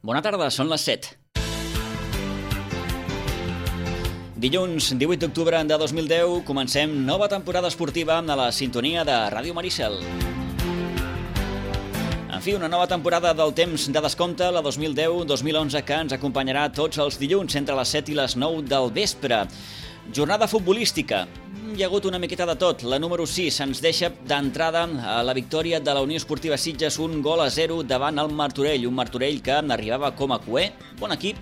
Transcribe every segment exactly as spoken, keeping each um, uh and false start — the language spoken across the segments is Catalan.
Bona tarda, són les set. Dilluns divuit d'octubre de dos mil deu comencem nova temporada esportiva a la sintonia de Ràdio Maricel. En fi, una nova temporada del temps de descompte, la dos mil deu dos mil onze, que ens acompanyarà tots els dilluns entre les set i les nou del vespre. Jornada futbolística. Hi ha hagut una miqueta de tot. La número sis ens deixa d'entrada a la victòria de la Unió Esportiva Sitges, un gol a zero davant el Martorell. Un Martorell que arribava com a cuer, bon equip,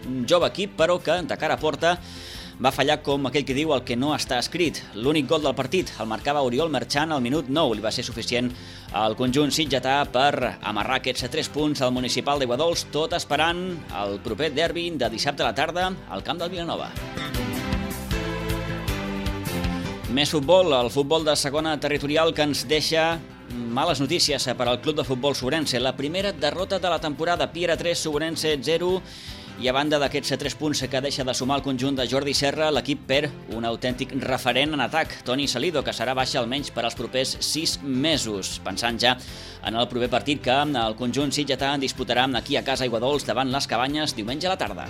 un jove equip, però que de cara a porta va fallar, com aquell que diu, el que no està escrit. L'únic gol del partit el marcava Oriol Merchan al minut nou. Li va ser suficient al conjunt sitgetà per amarrar aquests tres punts al municipal d'Aiguadols, tot esperant el proper derbi de dissabte a la tarda al camp del Vilanova. Més futbol, el futbol de segona territorial, que ens deixa males notícies per al club de futbol Sobrense. La primera derrota de la temporada, Piera tres, Sobrense zero, i a banda d'aquests tres punts que deixa de sumar el conjunt de Jordi Serra, l'equip perd un autèntic referent en atac, Toni Salido, que serà baixa almenys per als propers sis mesos, pensant ja en el proper partit que el conjunt sitgetà disputarà aquí a casa Aiguadols davant les Cabanyes diumenge a la tarda.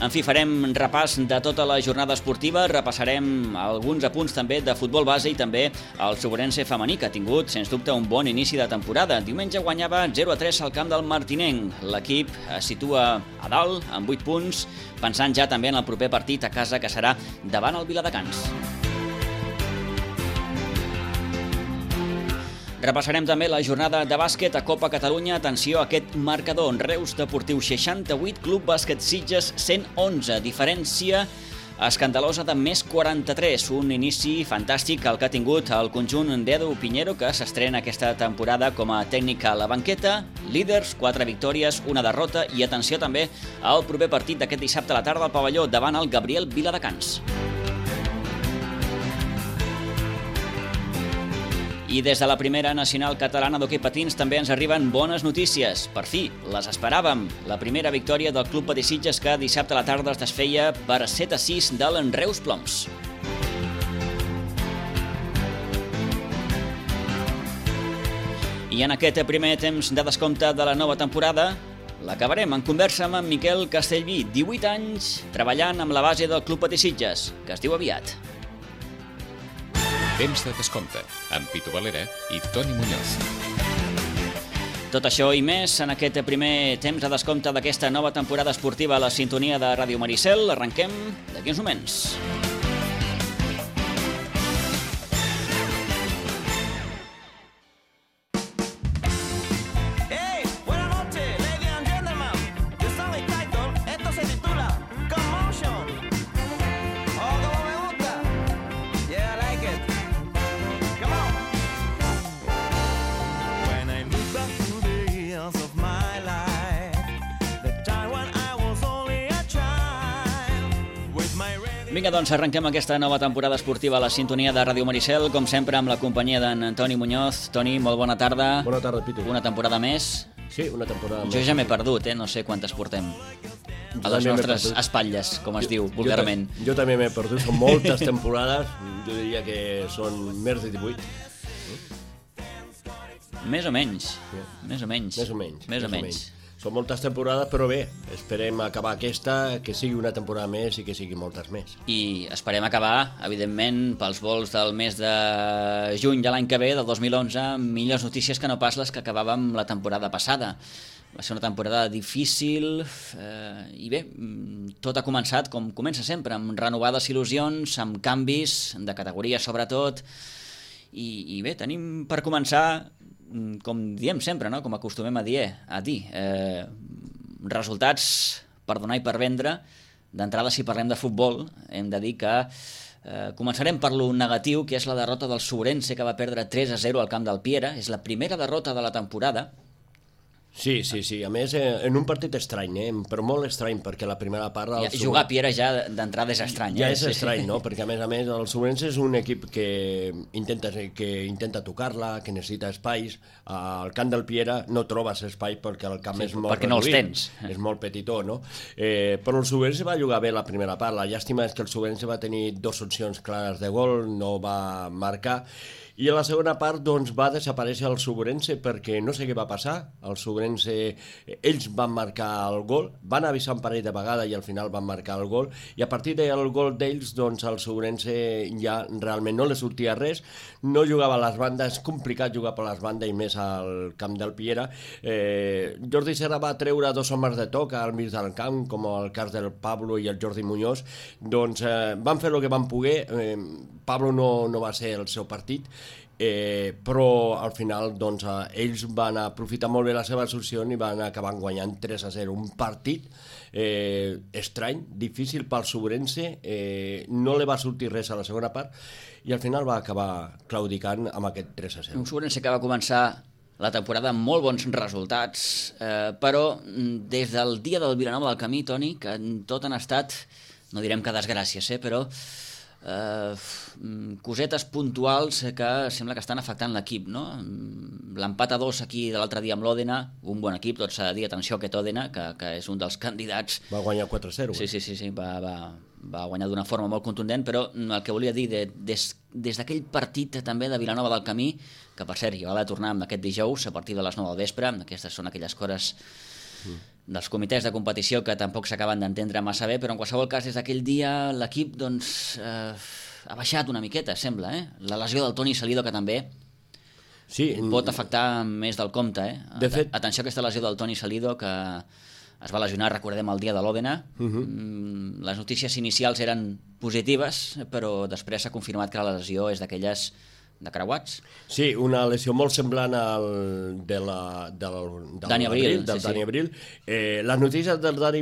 En fi, farem repàs de tota la jornada esportiva, repassarem alguns apunts també de futbol base i també el Sobrense femení, que ha tingut, sens dubte, un bon inici de temporada. Diumenge guanyava zero a tres al camp del Martinenc. L'equip es situa a dalt, amb vuit punts, pensant ja també en el proper partit a casa, que serà davant el Viladecans. Repassarem també la jornada de bàsquet a Copa Catalunya. Atenció a aquest marcador: Reus Deportiu seixanta-vuit, Club Bàsquet Sitges cent onze, diferència escandalosa de més quaranta-tres. Un inici fantàstic el que ha tingut el conjunt d'Edu Pinheiro, que s'estrena aquesta temporada com a tècnic a la banqueta. Líders, quatre victòries, una derrota, i atenció també al proper partit d'aquest dissabte a la tarda al pavelló davant el Gabriel Viladecans. I des de la primera nacional catalana d'hoquei patins també ens arriben bones notícies. Per fi, les esperàvem. La primera victòria del Club Patí Sitges, que dissabte a la tarda es desfeia per set a sis de l'Enreus Ploms. I en aquest primer temps de descompte de la nova temporada l'acabarem en conversa amb en Miquel Castellví, divuit anys, treballant amb la base del Club Patí Sitges, que es diu aviat. Temps de descompte, amb Pitu Valera i Toni Muñoz. Tot això i més en aquest primer temps de descompte d'aquesta nova temporada esportiva a la sintonia de Ràdio Maricel. Arrenquem d'aquí uns moments. Vinga, doncs arrenquem aquesta nova temporada esportiva a la sintonia de Ràdio Maricel, com sempre amb la companyia d'en Toni Muñoz. Toni, molt bona tarda. Bona tarda, Pitu. Una temporada més. Sí, una temporada més. Jo ja m'he perdut, eh? No sé quantes portem a les nostres espatlles, com es diu vulgarment. Jo, jo també m'he perdut, són moltes temporades, jo diria que són més de divuit. Més o menys, més o menys. Més o menys. Més o menys. Són moltes temporades, però bé, esperem acabar aquesta, que sigui una temporada més i que sigui moltes més. I esperem acabar, evidentment, pels vols del mes de juny de l'any que ve, del dos mil onze, millors notícies que no pas les que acabàvem la temporada passada. Va ser una temporada difícil eh, i bé, tot ha començat com comença sempre, amb renovades il·lusions, amb canvis de categoria sobretot, i, i bé, tenim per començar, com diem sempre, no? Com acostumem a dir, a dir eh, resultats per donar i per vendre. D'entrada, si parlem de futbol, hem de dir que eh, començarem per lo negatiu, que és la derrota del Sobrense, que va perdre tres a zero al camp del Piera. És la primera derrota de la temporada. Sí, sí, sí. A més, eh, en un partit estrany, eh? Però molt estrany, perquè la primera part... Ja, jugar a Piera ja d'entrada és estrany. Ja eh? és estrany, no? Perquè a més a més el Sobrense és un equip que intenta, que intenta tocar-la, que necessita espais. Al camp del Piera no trobes espai perquè el camp sí, és molt perquè no els reduït, tens. És molt petitó, no? Eh, però el Sobrense va jugar bé la primera part. La llàstima és que el Sobrense va tenir dues opcions clares de gol, no va marcar. I a la segona part doncs, va desaparèixer el Subrense perquè no sé què va passar. El Subrense, ells van marcar el gol, van avisar un parell de vegades i al final van marcar el gol, i a partir del gol d'ells doncs, el Subrense ja realment no li sortia res, no jugava a les bandes, és complicat jugar per les bandes i més al camp del Piera. Eh, Jordi Serra va treure dos homes de toc al mig del camp, com el cas del Pablo i el Jordi Muñoz, doncs eh, van fer el que van poder. eh, Pablo no, no va ser el seu partit, Eh, però al final doncs, eh, ells van aprofitar molt bé la seva solució i van acabar guanyant tres a zero, un partit eh, estrany, difícil pel Subrense, eh, no li va sortir res a la segona part i al final va acabar claudicant amb aquest tres a zero. Un Subrense que va començar la temporada amb molt bons resultats, eh, però des del dia del Vilanova del Camí, Toni, que tot han estat, no direm que desgràcies, eh, però Uh, cosetes puntuals que sembla que estan afectant l'equip, no? L'empat a dos aquí de l'altre dia amb l'Òdena, un bon equip, tot s'ha de dir, atenció a aquest Òdena, que, que és un dels candidats. Va guanyar quatre a zero. Sí, sí, sí, sí va, va, va guanyar d'una forma molt contundent, però el que volia dir, de, des, des d'aquell partit també de Vilanova del Camí, que per cert hi va haver de tornar amb aquest dijous a partir de les nou del vespre, aquestes són aquelles coses mm. dels comitès de competició que tampoc s'acaben d'entendre massa bé, però en qualsevol cas des d'aquell dia l'equip doncs, eh, ha baixat una miqueta, sembla, eh? La lesió del Toni Salido, que també sí, pot afectar més del compte, eh? De fet... Atenció a aquesta lesió del Toni Salido, que es va lesionar, recordem, el dia de l'Òdena. Uh-huh. Les notícies inicials eren positives, però després s'ha confirmat que la lesió és d'aquelles de creuats. Sí, una lesió molt semblant al de la, del, del Dani Abril. Del sí, Dani sí. Abril. Eh, les notícies del Dani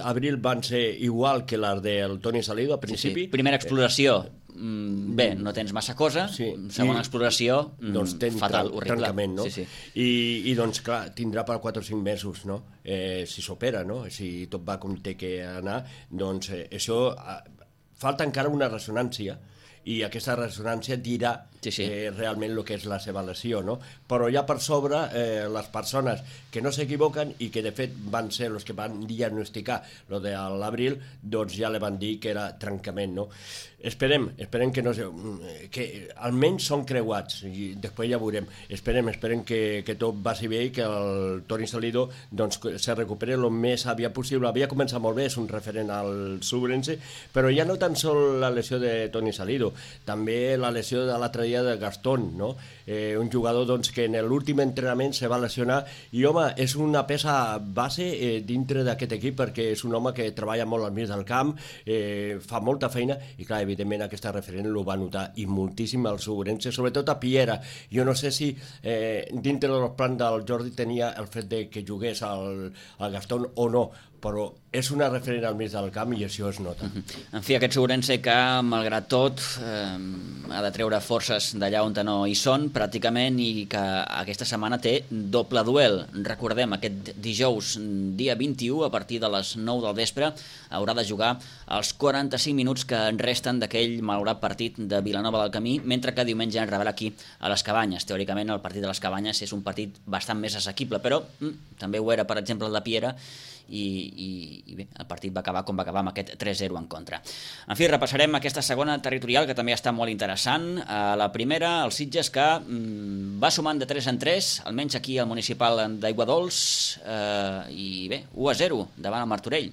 Abril van ser igual que les del Toni Salido, a principi. Sí, sí. Primera exploració, mm, bé, no tens massa cosa. Sí. Segona I, exploració, mm, doncs fatal, horrible. Trencament, no? Sí, sí. I, I doncs, clar, tindrà per quatre o cinc mesos, no? Eh, si s'opera, no? Si tot va com té que anar, doncs eh, això... Eh, falta encara una ressonància, i aquesta ressonància dirà sí, sí. Eh, realment el que és la seva lesió, no? Però ja per sobre eh, les persones que no s'equivoquen i que de fet van ser els que van diagnosticar lo de l'Abril, doncs ja li van dir que era trencament, no? Esperem, esperem que no que almenys són creuats i després ja veurem, esperem, esperem que, que tot vagi bé i que el Toni Salido doncs, se recuperi el més aviat possible. Havia començat molt bé, és un referent al Subrense, però ja no tan sol la lesió de Toni Salido, també la lesió de l'altre dia de Gastón, no? Eh, un jugador doncs, que en l'últim entrenament se va lesionar i home, és una peça base eh, dintre d'aquest equip perquè és un home que treballa molt al mig del camp, eh, fa molta feina i clar, evidentment aquesta referent ho va notar i moltíssim al Subrense, sobretot a Piera. Jo no sé si eh, dintre dels plans del Jordi tenia el fet de que jugués al, al Gastón o no, però és una referent al mig del camp i això es nota. En fi, aquest Subrense que, malgrat tot, eh, ha de treure forces d'allà on no hi són, pràcticament, i que aquesta setmana té doble duel. Recordem, aquest dijous, dia vint-i-u, a partir de les nou del vespre, haurà de jugar els quaranta-cinc minuts que en resten d'aquell malaurat partit de Vilanova del Camí, mentre que diumenge en rebrà aquí a les Cabanyes. Teòricament, el partit de les Cabanyes és un partit bastant més assequible, però mm, també ho era, per exemple, el de Piera, i, i, i bé, el partit va acabar com va acabar amb aquest tres a zero en contra. En fi, repassarem aquesta segona territorial que també està molt interessant. A la primera, el Sitges que mm, va sumant de tres en tres, almenys aquí al municipal d'Aiguadols, eh, i bé, u a zero davant el Martorell.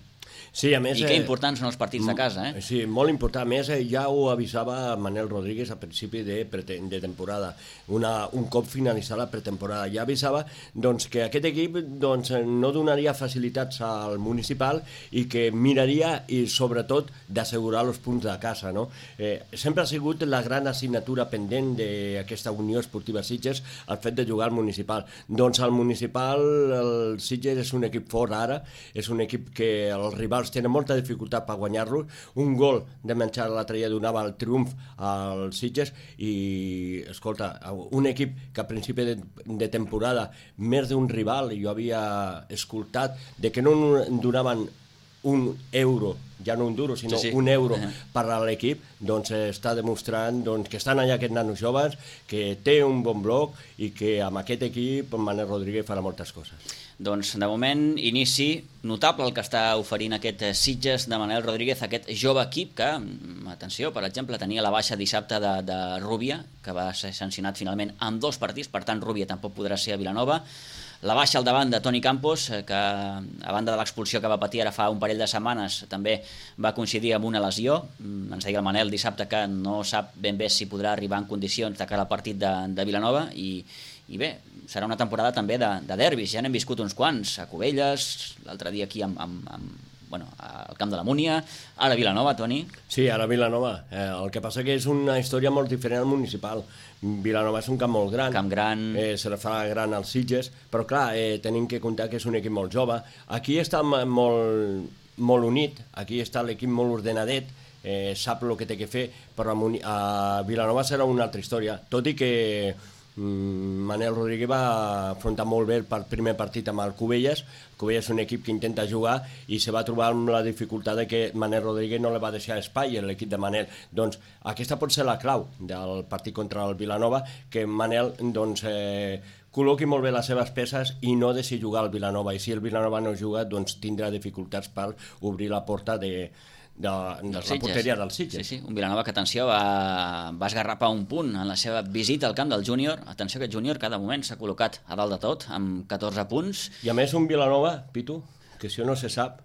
Sí, a més, I que importants són els partits de casa, eh? Sí, molt important. A més, ja ho avisava Manel Rodríguez a principi de, de temporada, una, un cop finalitzada la pretemporada. Ja avisava doncs, que aquest equip doncs, no donaria facilitats al municipal i que miraria, i sobretot, d'assegurar els punts de casa. No? Eh, sempre ha sigut la gran assignatura pendent d'aquesta Unió Esportiva Sitges el fet de jugar al municipal. Doncs al municipal el Sitges és un equip fort ara, és un equip que els rivals tenen molta dificultat per guanyar-los. Un gol de menjar l'altre dia donava el triomf als Sitges i, escolta, un equip que a principi de, de temporada més d'un rival, jo havia escoltat de que no donaven un euro, ja no un duro, sinó sí, sí. un euro uh-huh. per a l'equip, doncs està demostrant doncs, que estan allà aquests nanos joves, que té un bon bloc i que amb aquest equip Manel Rodríguez farà moltes coses. Doncs, de moment, inici notable el que està oferint aquest Sitges de Manel Rodríguez, aquest jove equip que, atenció, per exemple, tenia la baixa dissabte de, de Rúbia, que va ser sancionat finalment en dos partits, per tant, Rúbia tampoc podrà ser a Vilanova. La baixa al davant de Toni Campos, que a banda de l'expulsió que va patir ara fa un parell de setmanes, també va coincidir amb una lesió. Ens deia el Manel dissabte que no sap ben bé si podrà arribar en condicions de cara al partit de, de Vilanova i, i bé, serà una temporada també de, de derbis, ja n'hem viscut uns quants, a Cubelles, l'altre dia aquí amb, amb, amb, bueno, al Camp de la Múnia, ara a Vilanova, Toni. Sí, ara a Vilanova. Eh, el que passa que és una història molt diferent al municipal. Vilanova és un camp molt gran, camp gran. Eh, se la fa gran als Sitges, però clar, eh, tenim que comptar que és un equip molt jove. Aquí està molt, molt unit, aquí està l'equip molt ordenadet, eh, sap el que té que fer, però a, a Vilanova serà una altra història, tot i que Manel Rodríguez va afrontar molt bé el primer partit amb el Cubelles. Cubelles és un equip que intenta jugar i se va trobar amb la dificultat de que Manel Rodríguez no li va deixar espai a l'equip de Manel. Doncs aquesta pot ser la clau del partit contra el Vilanova, que Manel doncs, eh, col·loqui molt bé les seves peces i no deixi jugar al Vilanova, i si el Vilanova no juga doncs tindrà dificultats per obrir la porta de de, de la porteria del Sitges. Sí, sí, un Vilanova que, atenció, va, va esgarrapar un punt en la seva visita al camp del júnior. Atenció, aquest júnior cada moment s'ha col·locat a dalt de tot, amb catorze punts. I a més un Vilanova, Pitu, que això no se sap,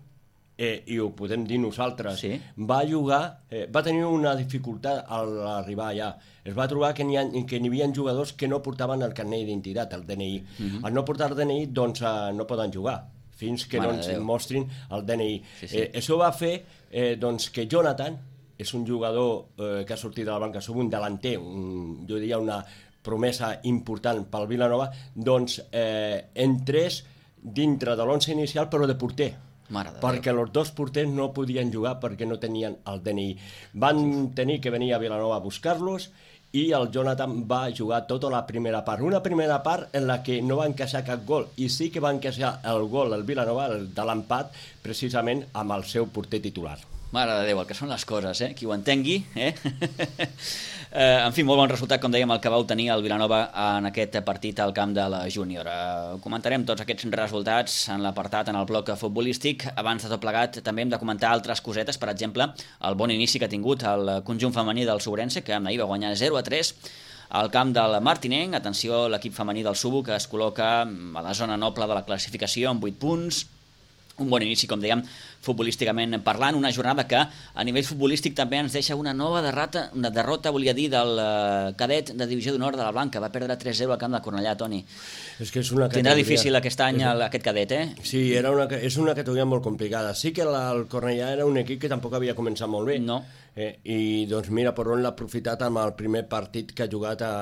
eh, i ho podem dir nosaltres, sí. va jugar, eh, va tenir una dificultat al arribar allà. Es va trobar que n'hi ha, que n'hi havia jugadors que no portaven el carnet d'identitat, el D N I. Uh-huh. Al no portar el D N I, doncs eh, no poden jugar fins que Mare no ens mostrin el D N I. Sí, sí. Eh, això va fer eh, doncs, que Jonathan és un jugador eh, que ha sortit de la banca, som un delanter, un, jo diria una promesa important pel Vilanova, doncs eh, entrés dintre de l'onze inicial però de porter. Mare de perquè Déu. Els dos porters no podien jugar perquè no tenien el D N I. Van tenir que venir a Vilanova a buscar-los i el Jonathan va jugar tota la primera part. Una primera part en la que no va encaixar cap gol, i sí que va encaixar el gol el Vilanova de l'empat precisament amb el seu porter titular. Mare de Déu, el que són les coses, eh? Qui ho entengui, eh? eh en fi, molt bon resultat, com dèiem, el que va obtenir el Vilanova en aquest partit al camp de la Júnior. Eh, comentarem tots aquests resultats en l'apartat, en el bloc futbolístic. Abans de tot plegat, també hem de comentar altres cosetes, per exemple, el bon inici que ha tingut el conjunt femení del Sobrense, que ahir va guanyar zero a tres al camp del Martinenc. Atenció, l'equip femení del Subo, que es col·loca a la zona noble de la classificació amb vuit punts. Un bon inici, com dèiem, futbolísticament parlant, una jornada que a nivell futbolístic també ens deixa una nova derrota, una derrota, volia dir, del uh, cadet de Divisió d'Honor de la Blanca. Va perdre tres zero al camp de Cornellà, Toni. És que és una categoria... Tindrà difícil aquest any el, aquest cadet, eh? Sí, era una, és una categoria molt complicada. Sí que la, el Cornellà era un equip que tampoc havia començat molt bé. No. Eh, I doncs mira per on l'ha aprofitat amb el primer partit que ha jugat a,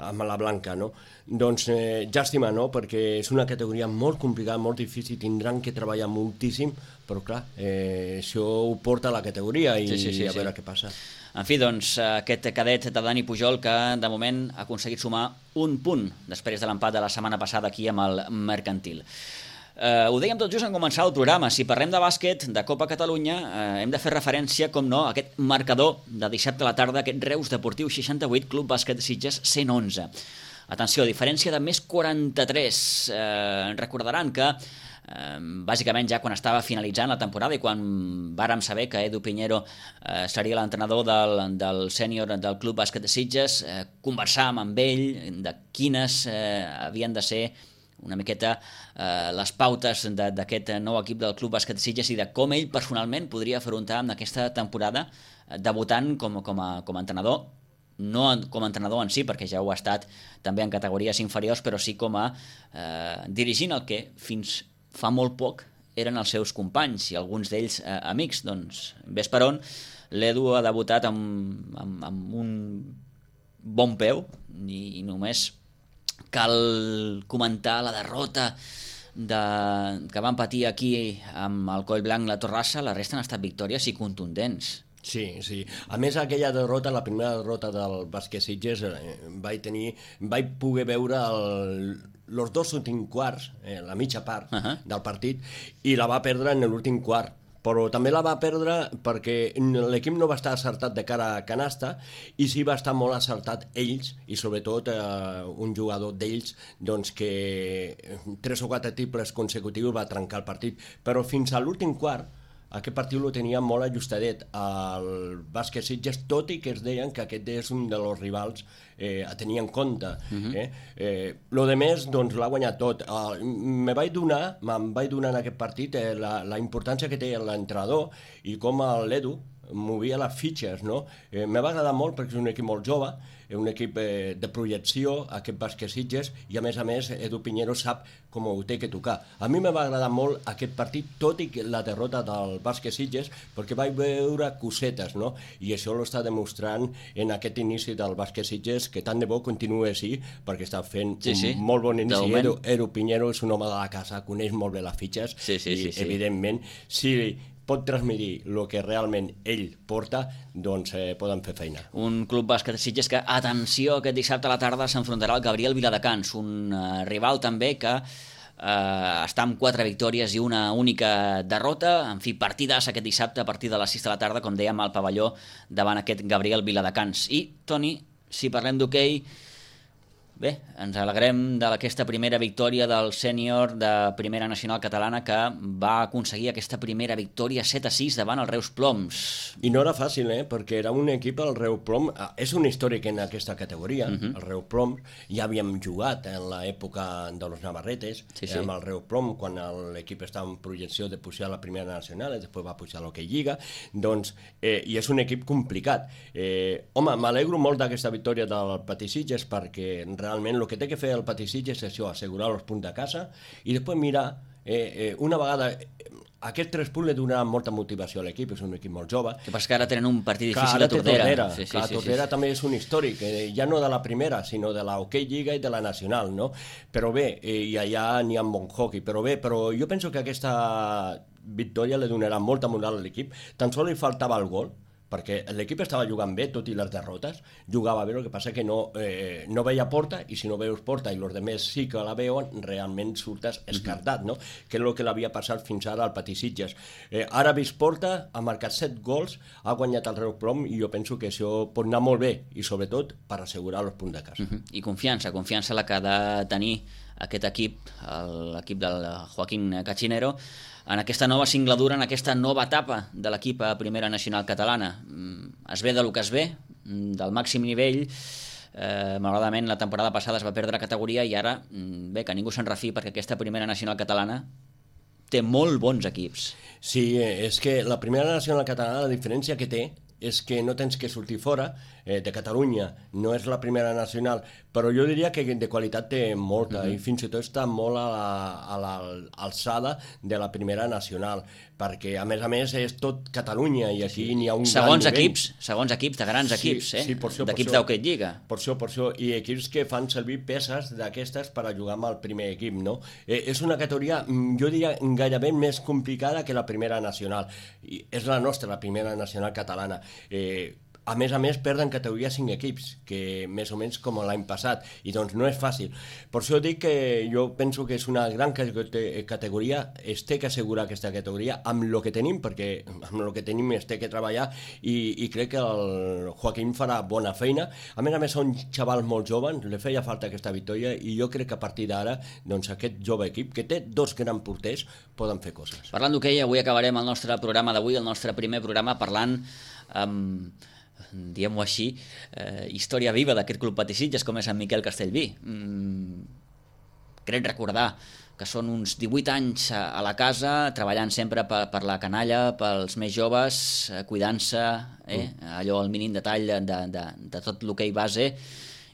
amb la Blanca, no? Doncs eh, llàstima, no? Perquè és una categoria molt complicada, molt difícil, tindran que treballar moltíssim, però clar, eh, això ho porta a la categoria i sí, sí, sí, a veure sí. què passa. En fi, doncs, aquest cadet de Dani Pujol que de moment ha aconseguit sumar un punt després de l'empat de la setmana passada aquí amb el Mercantil. Uh, ho dèiem tot just en començar el programa. Si parlem de bàsquet, de Copa Catalunya, uh, hem de fer referència, com no, a aquest marcador de dissabte a la tarda, aquest Reus Deportiu seixanta-vuit, Club Bàsquet Sitges cent onze. Atenció, diferència de més quaranta-tres. Uh, recordaran que uh, bàsicament ja quan estava finalitzant la temporada i quan vàrem saber que Edu Piñero uh, seria l'entrenador del, del sènior del Club Bàsquet Sitges, uh, conversàvem amb ell de quines uh, havien de ser una miqueta eh, les pautes d'aquest nou equip del Club Bàsquet Sitges i de com ell personalment podria afrontar en aquesta temporada eh, debutant com, com, a, com a entrenador, no com a entrenador en si, perquè ja ho ha estat també en categories inferiors, però sí com a eh, dirigint el que fins fa molt poc eren els seus companys i alguns d'ells eh, amics. Doncs, ves per on, l'Edu ha debutat amb, amb, amb un bon peu i, i només cal comentar la derrota de, que van patir aquí amb el Coll Blanc la Torrassa. La resta han estat victòries i contundents. Sí, sí. A més, aquella derrota, la primera derrota del Bàsquet Sitges, eh, vaig tenir, vaig poder veure el, els dos últims quarts, eh, la mitja part uh-huh. del partit, i la va perdre en l'últim quart, però també la va perdre perquè l'equip no va estar acertat de cara a canasta i sí va estar molt acertat ells i sobretot eh, un jugador d'ells doncs, que tres o quatre triples consecutius va trencar el partit, però fins a l'últim quart aquest partit lo tenia molt ajustadet al Bàsquet Sitges, tot i que es deien que aquest és un dels rivals eh, a tenir en compte. Uh-huh. eh? Eh, lo de més, doncs, l'ha guanyat tot. Uh, me vaig donar, me'n vaig donar en aquest partit eh, la, la importància que té l'entrenador i com l'Edu movia les fitxes, no? Eh, me va agradar molt perquè és un equip molt jove, un equip eh, de projecció, aquest Bàsquet Sitges, i a més a més Edu Piñero sap com ho té que tocar. A mi me va agradar molt aquest partit, tot i la derrota del Bàsquet Sitges, perquè vaig veure cosetes, no? I això l'està demostrant en aquest inici del Bàsquet Sitges, que tant de bo continuï així, perquè està fent sí, sí. un molt bon inici. Edu, Edu Piñero és un home de la casa, coneix molt bé les fitxes, sí, sí, i sí, sí. evidentment, si pot transmitir el que realment ell porta, doncs eh, poden fer feina. Un club bàsquet Sitges que, atenció, aquest dissabte a la tarda s'enfrontarà al Gabriel Viladecans, un uh, rival també que uh, està amb quatre victòries i una única derrota. En fi, partidàs aquest dissabte a partir de les sis de la tarda, com dèiem, al pavelló davant aquest Gabriel Viladecans. I, Toni, si parlem d'hoquei, bé, ens alegrem d'aquesta primera victòria del sènior de Primera Nacional Catalana que va aconseguir aquesta primera victòria set a sis davant el Reus Ploms. I no era fàcil, eh? Perquè era un equip, el Reus Ploms, és un històric en aquesta categoria, uh-huh. el Reus Ploms, ja havíem jugat en l'època de los Navarretes, sí, sí. amb el Reus Ploms, quan l'equip estava en projecció de pujar a la Primera Nacional, i després va pujar a l'Hockey Lliga, doncs, eh, i és un equip complicat. Eh, home, m'alegro molt d'aquesta victòria del Patí Sitges perquè realment el que té que fer el Patí Sitges és això, assegurar els punts de casa i després mirar, eh, eh, una vegada aquest tres punts li donarà molta motivació a l'equip, és un equip molt jove. Que passa que ara tenen un partit difícil a Tordera. Tordera. Sí, sí, Clar, sí, Tordera sí, sí. també és un històric, eh, ja no de la primera, sinó de la Hockey Lliga i de la Nacional, no? Però bé, eh, i allà n'hi ha bon hockey, però bé, però jo penso que aquesta victòria li donarà molta moral a l'equip, tan sols li faltava el gol, perquè l'equip estava jugant bé, tot i les derrotes, jugava bé, el que passa que no, eh, no veia porta, i si no veus porta i els altres sí que la veuen, realment surtes escardat, no? Que és el que l'havia passat fins ara al Patí Sitges. Eh, ara ha vist porta, ha marcat set gols, ha guanyat el Reus Ploms, i jo penso que això pot anar molt bé, i sobretot per assegurar els punts de casa. Uh-huh. I confiança, confiança la que ha de tenir aquest equip, l'equip del Joaquín Cachinero, en aquesta nova singladura, en aquesta nova etapa de l'equip a Primera Nacional Catalana. Es ve del que es ve, del màxim nivell. Eh, malauradament la temporada passada es va perdre categoria i ara, bé, que ningú se'n refi perquè aquesta Primera Nacional Catalana té molt bons equips. Sí, és que la Primera Nacional Catalana, la diferència que té és que no tens que sortir fora eh, de Catalunya, no és la Primera Nacional, però jo diria que de qualitat té molta, mm-hmm. i fins i tot està molt a l'alçada de la Primera Nacional, perquè a més a més és tot Catalunya i aquí sí. n'hi ha un segons gran equips, segons equips, de grans sí, equips, eh? Sí, d'equips d'Hockey Lliga. Per això, per això, i equips que fan servir peces d'aquestes per a jugar amb el primer equip, no? Eh, és una categoria, jo diria, gairebé més complicada que la Primera Nacional, i és la nostra, la Primera Nacional Catalana. Eh, a més a més perden categoria cinc equips, que més o menys com l'any passat, i doncs no és fàcil. Per això dic que jo penso que és una gran categoria, es té que assegurar aquesta categoria amb el que tenim, perquè amb el que tenim es té que treballar, i, i crec que el Joaquín farà bona feina. A més a més són xavals molt joves, li feia falta aquesta victòria, i jo crec que a partir d'ara doncs, aquest jove equip, que té dos grans porters, poden fer coses. Parlant d'hoquei, avui acabarem el nostre programa d'avui, el nostre primer programa, parlant amb... diguem-ho així, eh, història viva d'aquest club Patí Sitges com és en Miquel Castellví. Mm, crec recordar que són uns divuit anys a, a la casa, treballant sempre per, per la canalla, pels més joves, eh, cuidant-se, eh, mm. allò al mínim detall de, de, de, de tot l'hoquei base,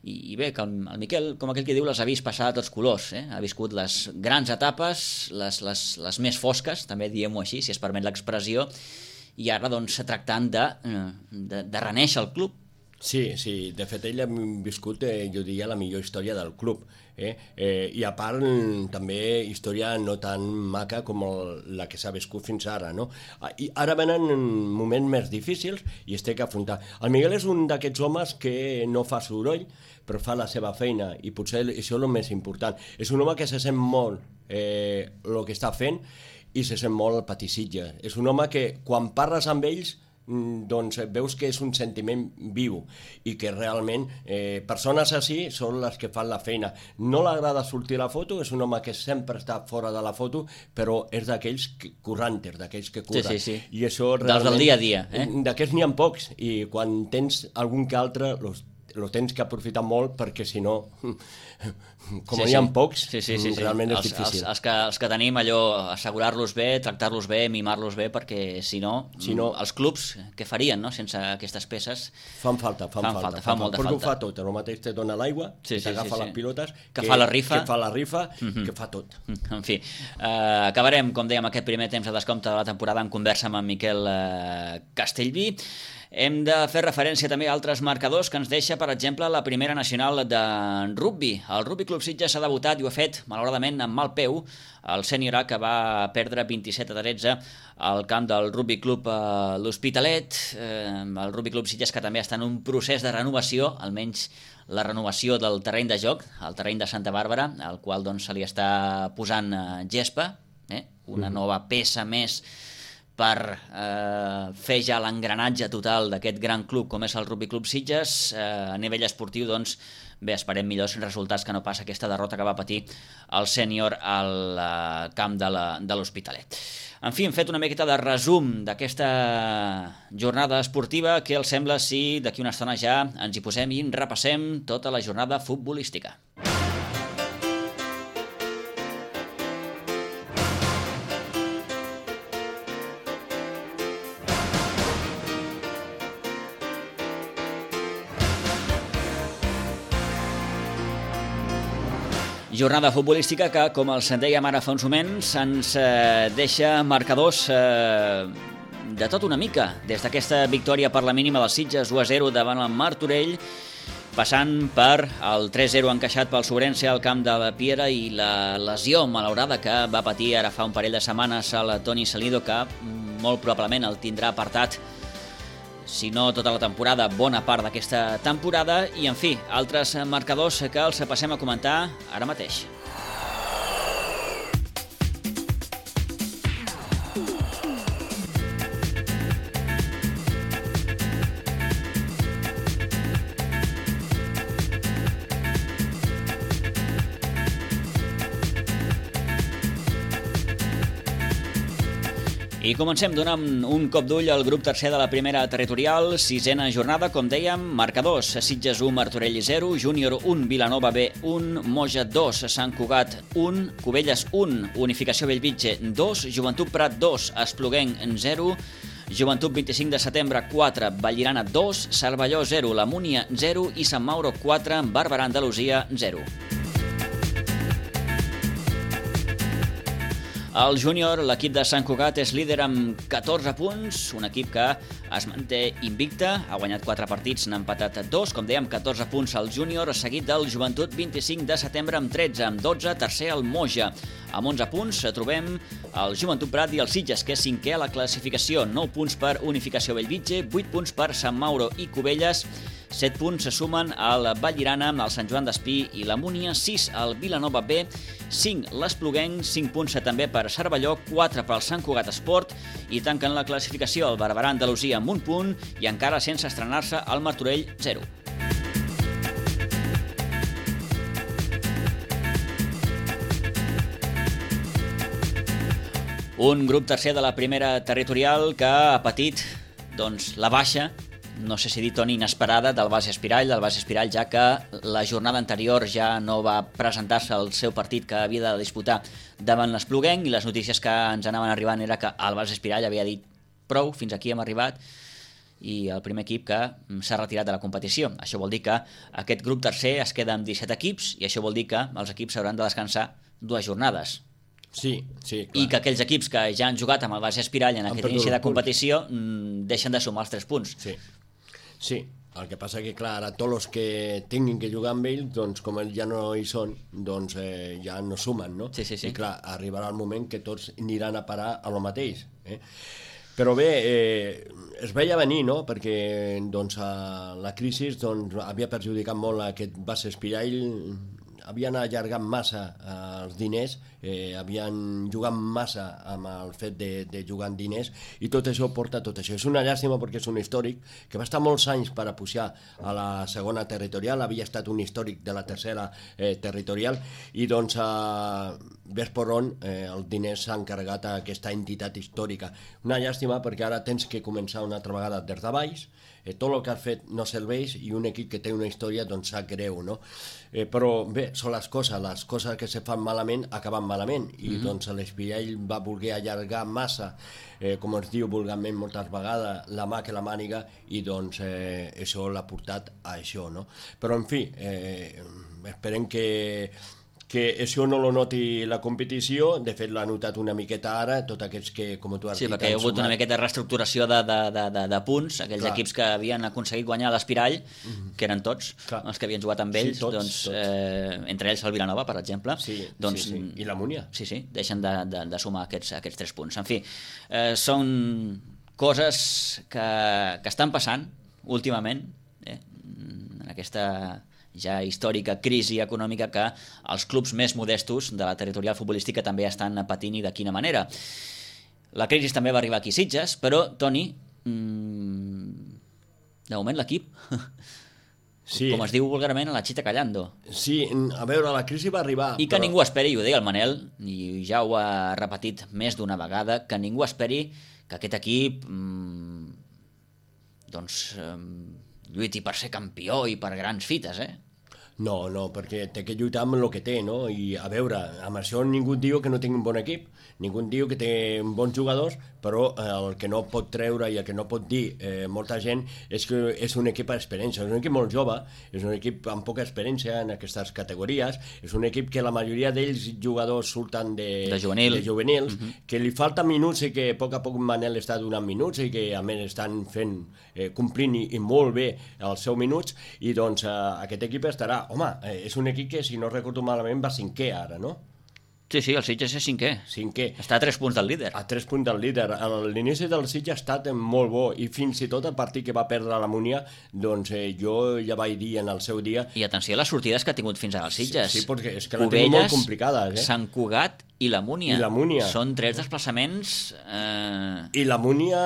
i, i bé, que el, el Miquel, com aquell que diu, les ha vist passar a tots colors, eh? Ha viscut les grans etapes, les, les, les més fosques, també diguem-ho així, si es permet l'expressió, i ara doncs tractant de, de, de reneixer el club. Sí, sí, de fet ell ha viscut, eh, jo diria, la millor història del club, eh? Eh, i a part també història no tan maca com el, la que s'ha viscut fins ara, no? I ara venen moments més difícils i es té que afrontar. El Miguel és un d'aquests homes que no fa soroll, però fa la seva feina, i potser això és el més important. És un home que se sent molt eh, el que està fent, i se sent molt el patissitge. És un home que quan parles amb ells doncs veus que és un sentiment viu i que realment eh, persones així són les que fan la feina. No l'agrada sortir a la foto, és un home que sempre està fora de la foto, però és d'aquells currantes, d'aquells que curren. Sí, sí, sí. I això dels del dia a dia. Eh? D'aquests n'hi ha pocs, i quan tens algun que altre los, lo tens que aprofitar molt, perquè si no, com sí, n'hi ha sí. pocs, sí, sí, sí, sí. realment és els, difícil. Els, els, que, els que tenim allò, assegurar-los bé, tractar-los bé, mimar-los bé, perquè si no, si no els clubs, què farien, no?, sense aquestes peces? Fan falta, fan, fan falta. falta fa molta perquè falta. ho fa tot, el mateix te dona l'aigua, sí, sí, t'agafa sí, sí. les pilotes, que, que fa la rifa, que fa la rifa, mm-hmm. que fa tot. En fi, eh, acabarem, com dèiem, aquest primer temps de descompte de la temporada en conversa amb en Miquel eh, Castellví. Hem de fer referència també a altres marcadors que ens deixa, per exemple, la primera nacional de rugby. El Rugby Club Sitges ha debutat i ho ha fet, malauradament, amb mal peu. El Sènior A, que va perdre vint-i-set a tretze al camp del Rugby Club eh, l'Hospitalet. Eh, el Rugby Club Sitges, que també està en un procés de renovació, almenys la renovació del terreny de joc, el terreny de Santa Bàrbara, al qual doncs, se li està posant eh, gespa, eh? una nova peça més per eh, fer ja l'engranatge total d'aquest gran club com és el Rugby Club Sitges. Eh, a nivell esportiu, doncs, bé, esperem millors resultats que no pas aquesta derrota que va patir el Sènior al eh, camp de l'Hospitalet. En fi, hem fet una miqueta de resum d'aquesta jornada esportiva. Què els sembla si d'aquí una estona ja ens hi posem i repassem tota la jornada futbolística? Jornada futbolística que, com els dèiem ara fa uns moments, ens eh, deixa marcadors eh, de tot una mica. Des d'aquesta victòria per la mínima dels Sitges u a zero davant el Martorell, passant per el tres zero encaixat pel Sobrense al camp de la Piera i la lesió malaurada que va patir ara fa un parell de setmanes el Toni Salido, que molt probablement el tindrà apartat, si no tota la temporada, bona part d'aquesta temporada. I, en fi, altres marcadors que els passem a comentar ara mateix. I comencem donant un cop d'ull al grup tercer de la primera territorial, sisena jornada, com dèiem, marcadors: Sitges u, Martorell zero, Júnior un, Vilanova B un, Moja dos, Sant Cugat un, Cubelles un, Unificació Bellvitge dos, Joventut Prat dos, Espluguenc zero, Joventut vint-i-cinc de setembre quatre, Vallirana dos, Cervelló zero, La Múnia zero i Sant Mauro quatre, Barberà Andalusia zero. El júnior, l'equip de Sant Cugat, és líder amb catorze punts, un equip que es manté invicte, ha guanyat quatre partits, n'ha empatat dos, com dèiem, catorze punts al júnior, seguit del Joventut vint-i-cinc de setembre amb tretze, amb dotze, tercer el Moja. Amb onze punts trobem el Joventut Prat i el Sitges, que és cinquè a la classificació, nou punts per Unificació Bellvitge, vuit punts per Sant Mauro i Cubelles, set punts se sumen al Vallirana, al Sant Joan d'Espí i la Múnia, sis al Vilanova B, cinc l'Espluguenc, cinc punts també per Cervelló, quatre pel Sant Cugat Esport, i tanquen la classificació el Barberà Andalusia amb un punt i encara sense estrenar-se el Martorell zero. Un grup tercer de la primera territorial que ha patit doncs, la baixa, no sé si dir, Toni, inesperada, del Bas Espirall, del Bas Espirall, ja que la jornada anterior ja no va presentar-se al seu partit que havia de disputar davant l'Espluguenc, i les notícies que ens anaven arribant era que el Bas Espirall havia dit prou, fins aquí hem arribat, i el primer equip que s'ha retirat de la competició. Això vol dir que aquest grup tercer es queda amb disset equips, i això vol dir que els equips hauran de descansar dues jornades. Sí, sí, clar. I que aquells equips que ja han jugat amb el Bas Espirall en aquest inici de competició deixen de sumar els tres punts. Sí. Sí, el que passa que, clar, ara tots els que tinguin que jugar amb ells, doncs, com ells ja no hi són, doncs eh, ja no sumen, no? Sí, sí, sí. I, clar, arribarà el moment que tots aniran a parar a lo mateix. Eh? Però bé, eh, es veia venir, no?, perquè doncs, a la crisi doncs, havia perjudicat molt aquest Bas Espirall, havien allargat massa eh, els diners, eh, havien jugat massa amb el fet de, de jugar en diners, i tot això porta tot això. És una llàstima perquè és un històric que va estar molts anys per a pujar a la segona territorial, havia estat un històric de la tercera eh, territorial, i doncs eh, ves per on eh, els diners s'han carregat a aquesta entitat històrica. Una llàstima perquè ara tens que començar una altra vegada des de baix, eh, tot el que has fet no serveix, i un equip que té una història doncs sap greu, no? Eh, però bé, són les coses, les coses que se fan malament acaben malament, i mm-hmm. doncs l'Espirall va voler allargar massa, eh, com es diu vulgarment moltes vegades, la mà que la màniga, i doncs eh, això l'ha portat a això, no? Però en fi, eh, esperem que que això no lo noti la competició, de fet l'ha notat una miqueta ara, tots aquests que, com tu has sí, dit... Sí, perquè hi ha hagut sumat... una miqueta de reestructuració de, de, de, de, de punts, aquells Clar. equips que havien aconseguit guanyar l'Espirall, mm-hmm. que eren tots, Clar. els que havien jugat amb ells, sí, tots, doncs, tots. Eh, entre ells el Vilanova, per exemple. Sí, doncs, sí, sí. I la Múnia. Sí, sí, deixen de, de, de sumar aquests, aquests tres punts. En fi, eh, són coses que, que estan passant últimament, eh, en aquesta... ja històrica crisi econòmica que els clubs més modestos de la territorial futbolística també estan patint, i de quina manera. La crisi també va arribar aquí a Sitges, però, Toni, mmm, de moment l'equip, sí. com es diu vulgarment, a la chita callando. Sí, a veure, la crisi va arribar... I que però... ningú esperi, ho deia el Manel, i ja ho ha repetit més d'una vegada, que ningú esperi que aquest equip... Mmm, doncs... Mmm, lluiti per ser campió i per grans fites, eh? No, no, perquè té que lluitar amb el que té, no? I a veure, amb això ningú diu que no tingui un bon equip, ningú diu que té bons jugadors, però el que no pot treure i el que no pot dir eh, molta gent és que és un equip d'experiència, és un equip molt jove, és un equip amb poca experiència en aquestes categories, és un equip que la majoria d'ells jugadors surten de, de, juvenil. de juvenils, uh-huh. que li falta minuts i que a poc a poc Manel està donant minuts i que a més estan fent, eh, complint i, i molt bé els seus minuts, i doncs eh, aquest equip estarà, home, eh, és un equip que si no recordo malament va cinquè ara, no? Sí, sí, el Sitges és cinquè. Cinquè. Està a tres punts del líder. A tres punts del líder. L'inici del Sitges ha estat molt bo, i fins i tot el partit que va perdre la Múnia, doncs eh, jo ja vaig dir en el seu dia... I atenció a les sortides que ha tingut fins ara el Sitges. Sí, sí, perquè és que la tenim molt complicades. Eh? Sant Cugat i la Múnia. I la Múnia. Són tres desplaçaments... Eh... I la Múnia,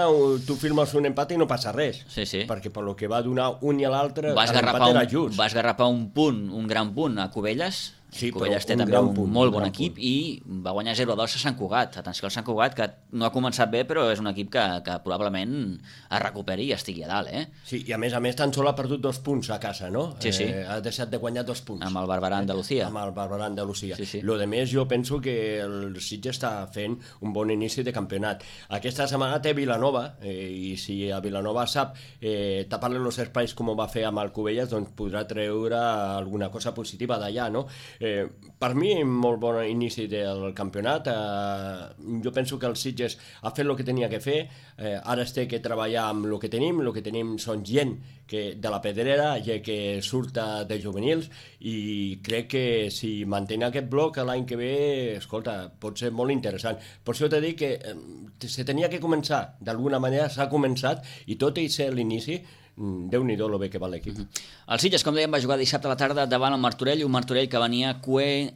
tu firmes un empat i no passa res. Sí, sí. Perquè per lo que va donar un i l'altre, l'empat era just. Va esgarrapar un punt, un gran punt a Cubelles. Sí, Cubelles té un també un punt, molt un bon equip punt. I va guanyar zero a dos a Sant Cugat. Atenció al Sant Cugat, que no ha començat bé, però és un equip que, que probablement es recuperi i estigui a dalt, eh? Sí, i a més a més tan sol ha perdut dos punts a casa, no? Sí, sí. Eh, ha deixat de guanyar dos punts. Amb el Barberà Andalusia. Amb el Barberà Andalusia. Sí, sí. Lo de més, jo penso que el Sitges està fent un bon inici de campionat. Aquesta setmana té Vilanova, eh, i si a Vilanova sap eh, tapar-li els espais com ho va fer amb el Cubelles, doncs podrà treure alguna cosa positiva d'allà, no? Eh, per mi, molt bon inici del campionat. Eh, jo penso que el Sitges ha fet el que tenia que fer, eh, ara es té que treballar amb el que tenim, el que tenim són gent que, de la pedrera, ja que surt de juvenils, i crec que si mantén aquest bloc l'any que ve, escolta, pot ser molt interessant. Per això t'he dit que eh, se tenia que començar, d'alguna manera s'ha començat, i tot i ser l'inici, Déu-n'hi-do lo bé que va l'equip. El Sitges, com dèiem, va jugar dissabte a la tarda davant el Martorell, un Martorell que venia cué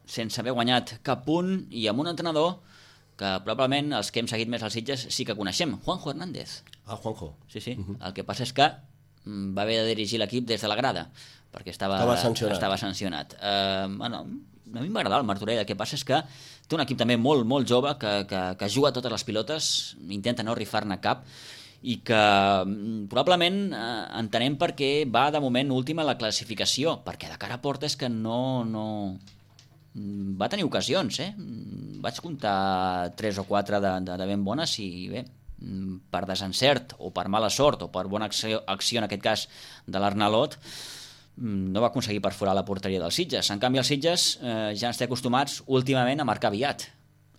sense haver guanyat cap punt, i amb un entrenador que probablement els que hem seguit més al Sitges sí que coneixem, Juanjo Hernández. Ah, Juanjo. Sí, sí. Uh-huh. El que passa és que va haver de dirigir l'equip des de la grada, perquè estava, estava sancionat. Estava sancionat. Uh, bueno, a mi m'agrada el Martorell, el que passa és que té un equip també molt, molt jove, que, que, que juga totes les pilotes, intenta no rifar-ne cap, i que probablement eh, entenem perquè va de moment última la classificació, perquè de cara a porta és que no, no... va tenir ocasions, eh? Vaig comptar tres o quatre de, de, de ben bones, i bé, per desencert o per mala sort o per bona acció, acció en aquest cas de l'Arnalot, no va aconseguir perforar la porteria dels Sitges. En canvi, els Sitges eh, ja ens té acostumats últimament a marcar aviat.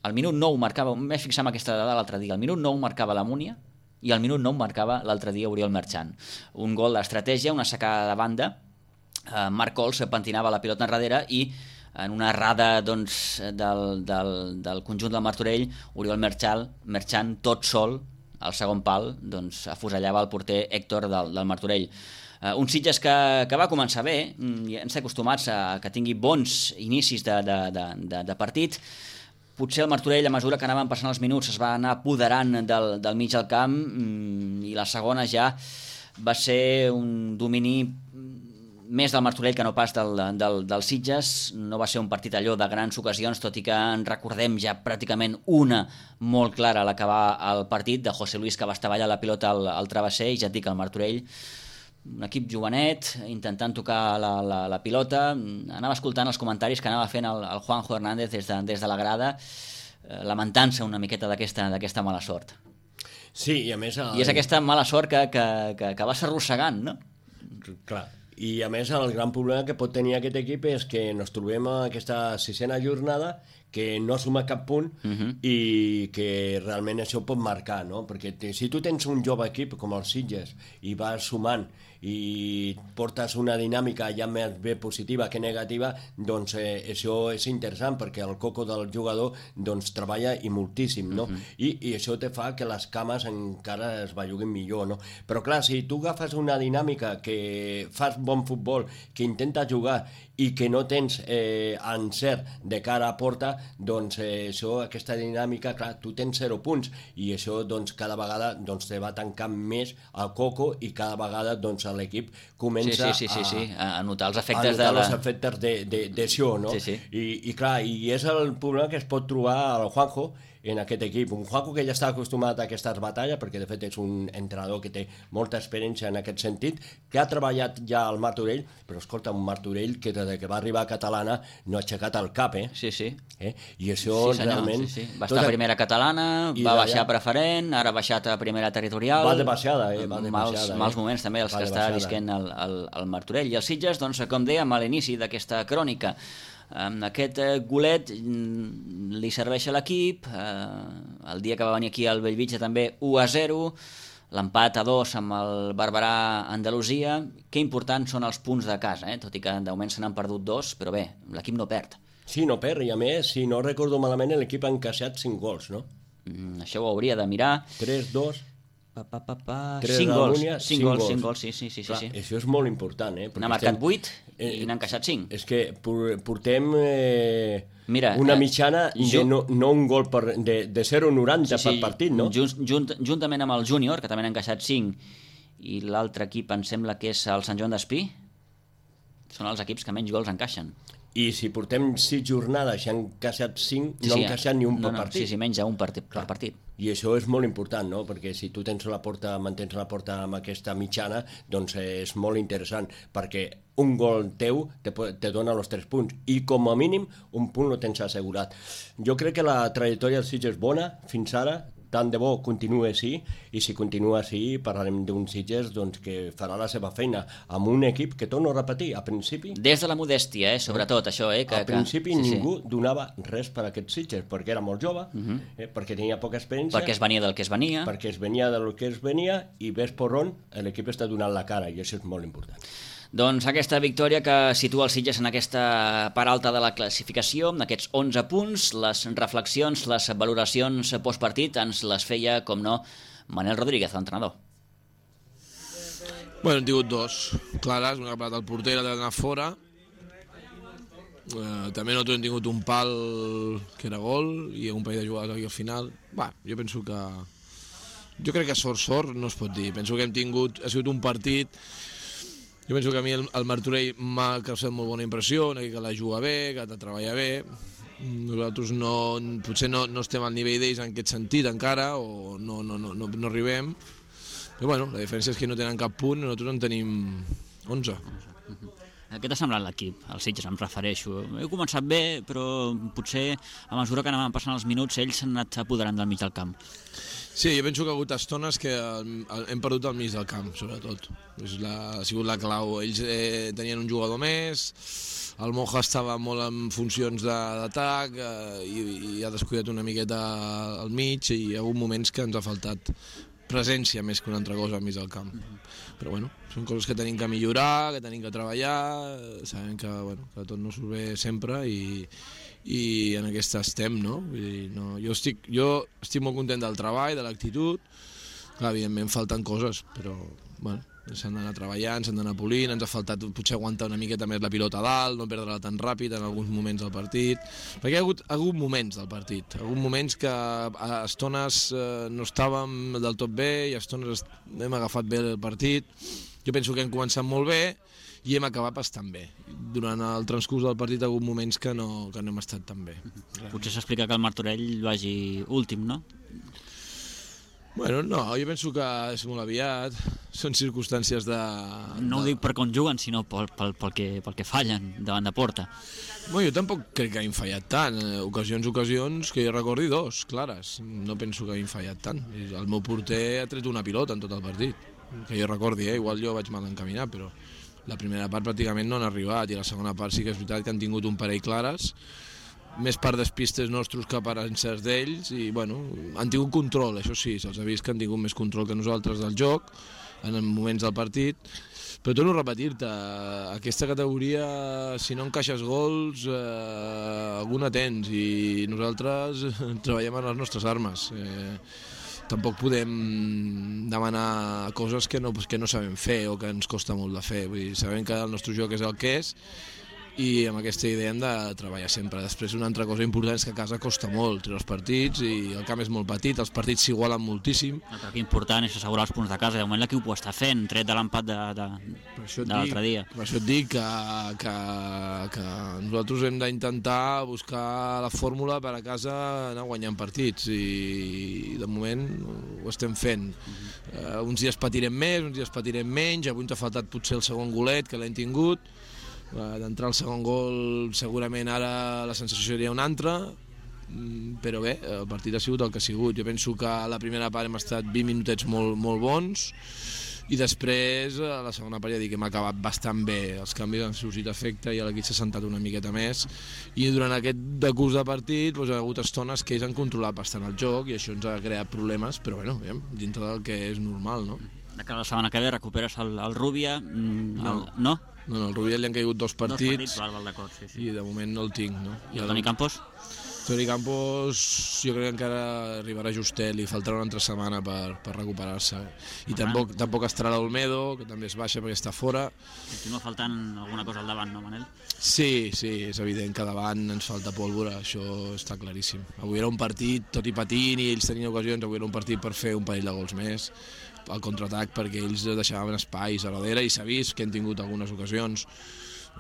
Al minut nou marcava, em vaig fixar en aquesta dada l'altre dia, al minut nou marcava la Múnia, i al minut nou marcava l'altre dia Oriol Merchant. Un gol d'estratègia, una sacada de banda, eh, Marc Cols pentinava la pilota enrere, i en una errada doncs, del, del, del conjunt del Martorell, Oriol Merchant, Merchant tot sol, al segon pal, doncs, afusellava el porter Héctor del, del Martorell. Uh, un Sitges que, que va començar bé, ja ens acostumats a que tingui bons inicis de, de, de, de, de partit. Potser el Martorell, a mesura que anaven passant els minuts, es va anar apoderant del, del mig del camp, i la segona ja va ser un domini més del Martorell que no pas del, del, del Sitges. No va ser un partit allò de grans ocasions, tot i que en recordem ja pràcticament una molt clara a l'acabar el partit, de José Luis, que va estavellar la pilota al, al travesser, i ja et dic, el Martorell, un equip jovenet, intentant tocar la, la, la pilota. Anava escoltant els comentaris que anava fent el, el Juanjo Hernández des de, des de la grada, eh, lamentant-se una miqueta d'aquesta d'aquesta mala sort. Sí, i a més... El... I és aquesta mala sort que, que, que, que vas arrossegant, no? Clar. I a més el gran problema que pot tenir aquest equip és que ens trobem a aquesta sisena jornada que no suma cap punt uh-huh. i que realment això pot marcar, no? Perquè te, si tu tens un jove equip com el Sitges i vas sumant i portes una dinàmica ja més bé positiva que negativa, doncs eh, això és interessant perquè el coco del jugador doncs treballa i moltíssim, no? Uh-huh. I, i això te fa que les cames encara es belluguin millor, no? Però clar, si tu agafes una dinàmica que fas bon futbol, que intenta jugar i que no tens eh, encert de cara a porta, doncs eh, això, aquesta dinàmica, clar, tu tens zero punts i això doncs cada vegada doncs, te va tancant més el coco i cada vegada doncs l'equip comença sí, sí, sí, sí, sí. A, a notar els a efectes notar de la... els efectes de, de, d'això, no? Sí, sí. I, i clar, i és el problema que es pot trobar al Juanjo en aquest equip. Un Juanjo que ja està acostumat a aquestes batalles, perquè de fet és un entrenador que té molta experiència en aquest sentit, que ha treballat ja al Martorell, però escolta, un Martorell que des que va arribar a Catalana no ha aixecat el cap, eh? Sí, sí. Eh? I això sí, senyor, realment... Sí, sí. Va estar a primera catalana, va baixar a preferent, ara ha baixat a primera territorial... Va de baixada, eh? Va de mals, baixada, mals eh? moments també els va que està visquent el, el, el Martorell. I el Sitges, doncs, com dèiem a l'inici d'aquesta crònica, amb aquest golet li serveix a l'equip, eh, el dia que va venir aquí al Bellvitge també u a zero, l'empat a dos amb el Barberà Andalusia. Que importants són els punts de casa, eh? Tot i que de moment se n'han perdut dos, però bé, l'equip no perd. Sí, no perd, i a més, si no recordo malament, l'equip ha encaixat cinc gols, no? Mm, això ho hauria de mirar. tres dos... Pa, pa, pa, pa. cinc gols, Múnia, cinc, cinc gols, cinc gols, sí, sí, sí, Clar, sí. Això és molt important, eh? N'ha marcat vuit i eh, n'ha encaixat cinc. És que portem eh, Mira, una eh, mitjana ju... de no, no un gol per, de, de zero coma noranta sí, sí, per partit, no? Junt, junt, juntament amb el Júnior, que també n'ha encaixat cinc, i l'altre equip em sembla que és el Sant Joan d'Espí, són els equips que menys gols encaixen. I si portem sis jornades i han encaixat cinc, sí, no han encaixat ni un no, per no, partit. Sí, sí, menys un per, per partit. I això és molt important, no? Perquè si tu tens la porta, mantens la porta amb aquesta mitjana, doncs és molt interessant, perquè un gol teu te, te dona els tres punts, i com a mínim un punt lo tens assegurat. Jo crec que la trajectòria del Sitges és bona fins ara, tant de bo continua així, i si continua així parlarem d'un Sitges doncs, que farà la seva feina amb un equip que, torno a repetir, a principi... Des de la modèstia, eh? Sobretot això. Eh? Que, a principi que... Sí, ningú sí. donava res per a aquest Sitges, perquè era molt jove, uh-huh. eh? perquè tenia poca experiència... Perquè es venia del que es venia. Perquè es venia del que es venia, i ves per on l'equip està donant la cara, i això és molt important. Doncs aquesta victòria que situa el Sitges en aquesta part alta de la classificació, amb aquests onze punts, les reflexions, les valoracions postpartit ens les feia, com no, Manel Rodríguez, l'entrenador. Bueno, hem tingut dos clares, una que ha parat el porter, l'altra d'anar fora. Eh, també nosaltres hem tingut un pal que era gol i un parell de jugades aquí al final. Va, jo penso que... Jo crec que sort, sort no es pot dir. Penso que hem tingut... Ha sigut un partit... Jo penso que a mi el, el Martorell m'ha causat molt bona impressió, que la juga bé, que la treballa bé. Nosaltres no, potser no, no estem al nivell d'ells en aquest sentit encara, o no, no, no, no, no arribem. Però bueno, la diferència és que no tenen cap punt, nosaltres en tenim onze. Què t'ha semblat l'equip, el Sitges, em refereixo? Heu començat bé, però potser a mesura que anaven passant els minuts ells s'han anat apoderant del mig del camp. Sí, jo penso que ha hagut estones que hem perdut al mig del camp, sobretot. És la, ha sigut la clau. Ells eh, tenien un jugador més, el Moja estava molt en funcions d'atac eh, i, i ha descuidat una miqueta al mig, i hi ha hagut moments que ens ha faltat presència més que una altra cosa al mig del camp. Però bueno, són coses que tenim que millorar, que tenim que treballar, sabem que, bueno, que tot no surt bé sempre, i i en aquesta estem, no? Vull dir, no jo, estic, jo estic molt content del treball, de l'actitud. Clar, evidentment falten coses, però bueno, s'han d'anar treballant, s'han d'anar polint, ens ha faltat potser aguantar una miqueta més la pilota a dalt, no perdre-la tan ràpid en alguns moments del partit, perquè hi ha hagut, ha hagut moments del partit, ha hagut moments que a estones eh, no estàvem del tot bé i a estones hem agafat bé el partit. Jo penso que hem començat molt bé i hem acabat bastant bé. Durant el transcurs del partit ha hagut moments que no, que no hem estat tan bé. Potser s'explica que el Martorell vagi últim, no? Bueno, no, jo penso que és molt aviat, són circumstàncies de... No ho de... dic per com juguen, sinó pel, pel, pel, que, pel que fallen davant de porta. Bueno, jo tampoc crec que hagin fallat tant. Ocasions, ocasions, que jo recordi dos, clares. No penso que hagin fallat tant. El meu porter ha tret una pilota en tot el partit. Que jo recordi, eh? Igual jo vaig mal encaminar, però la primera part pràcticament no han arribat i la segona part sí que és veritat que han tingut un parell clares, més per despistes nostres que per encerts d'ells i bueno, han tingut control, això sí, se'ls ha vist que han tingut més control que nosaltres del joc en moments del partit, però torno a repetir-te, aquesta categoria si no encaixes gols eh, alguna tens i nosaltres treballem en les nostres armes, eh, tampoc podem demanar coses que no, que no sabem fer o que ens costa molt de fer, vull dir, sabem que el nostre joc és el que és i amb aquesta idea hem de treballar sempre. Després una altra cosa important és que a casa costa molt treure els partits i el camp és molt petit, els partits s'igualen moltíssim. No, però que important és assegurar els punts de casa, de moment l'equip ho està fent, tret de l'empat de, de, de l'altre dia. Per això et dic que, que, que nosaltres hem d'intentar buscar la fórmula per a casa anar guanyant partits i de moment ho estem fent. Uh-huh. uh, uns dies patirem més, uns dies patirem menys, avui ens ha faltat potser el segon golet que l'hem tingut. D'entrar al segon gol segurament ara la sensació seria una altra, però bé, el partit ha sigut el que ha sigut. Jo penso que a la primera part hem estat vint minutets molt, molt bons i després a la segona part ja dic que hem acabat bastant bé, els canvis han sorgit efecte i l'equip s'ha sentat una miqueta més i durant aquest decurs de partit doncs, hi ha hagut estones que ells han controlat bastant el joc i això ens ha creat problemes, però bueno, dintre del que és normal, no? De cara a la setmana que ve recuperes el, el Rubia, el, no. no? No, no, al Rubia li han caigut dos partits, dos partits val, val, d'acord, sí, sí. I de moment no el tinc. No? I el Toni Campos? Toni Campos jo crec que encara arribarà justet, li faltarà una altra setmana per, per recuperar-se. I tampoc, tampoc estarà l'Olmedo, que també es baixa perquè està fora. Continua faltant alguna cosa al davant, no, Manel? Sí, sí, és evident que davant ens falta pólvora, això està claríssim. Avui era un partit, tot i patint, i ells tenien ocasions, avui era un partit per fer un parell de gols més al contraatac perquè ells deixaven espais a darrere i s'ha vist que han tingut algunes ocasions.